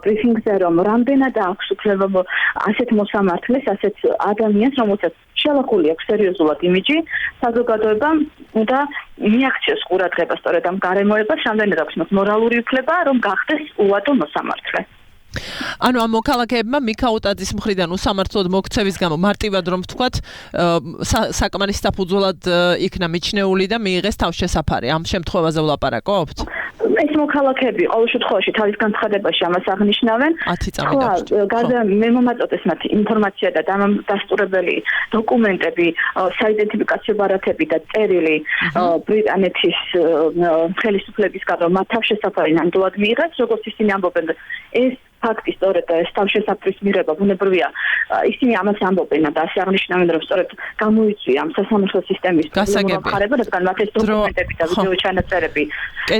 ბრიფინგზე რომ რამდენად აქვს უფლება ასეთ მოსამართლეს, ასეთ ადამიანს, რომელსაც შელახული აქვს სერიოზულად იმიჯი, საზოგადოებამ უნდა მიაქციოს ყურადღება სწორედ ამ გარემოებას, რამდენად აქვს მას მორალური უფლება, რომ გახდეს უადო მოსამართლე. ანუ ამ მოქალაქეებმა მიქაუტაძის მხრიდან უსამართლოდ მოქცევის გამო მარტივად რომ ვთქვათ საკმარის საფუძვლად იქნა მიჩნეული და მიიღეს თავშესაფარი. ამ შემთხვევაზე ვლაპარაკობთ? ეს მოქალაქეები ყოველ შემთხვევაში თავის განცხადებაში ამას აღნიშნავენ. ხო, გარდა მე მომაწოდეს მათ ინფორმაცია და დამასტურებელი დოკუმენტები, საიდენტიფიკაციო ბარათები და წერილი ბრიტანეთის ხელისუფლებისგან, რომ მათ თავშესაფარი ნამდვილად მიიღეს, როგორც ისინი ამბობენ, ეს ფაქტი სწორედ ეს თავშესაფრის მიღება ბუნებრივია ისინი ამას ამბობენ და ასე აღნიშნავენ რომ სწორედ გამოიწვია ამ სასამართლო სისტემის გასაგები რადგან მათ ეს დოკუმენტები და ვიდეო ჩანაწერები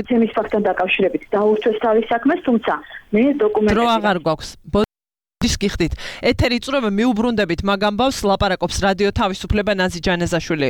ეთემის ფაქტთან დაკავშირებით დაურჩეს თავის საქმეს თუმცა მე დოკუმენტები დრო აღარ გვაქვს ბოდიშ გიხდით ეთერი წვრობა მიუბრუნდებით მაგ ამბავს ლაპარაკობს რადიო თავისუფლება ნაზი ჯანაზაშვილი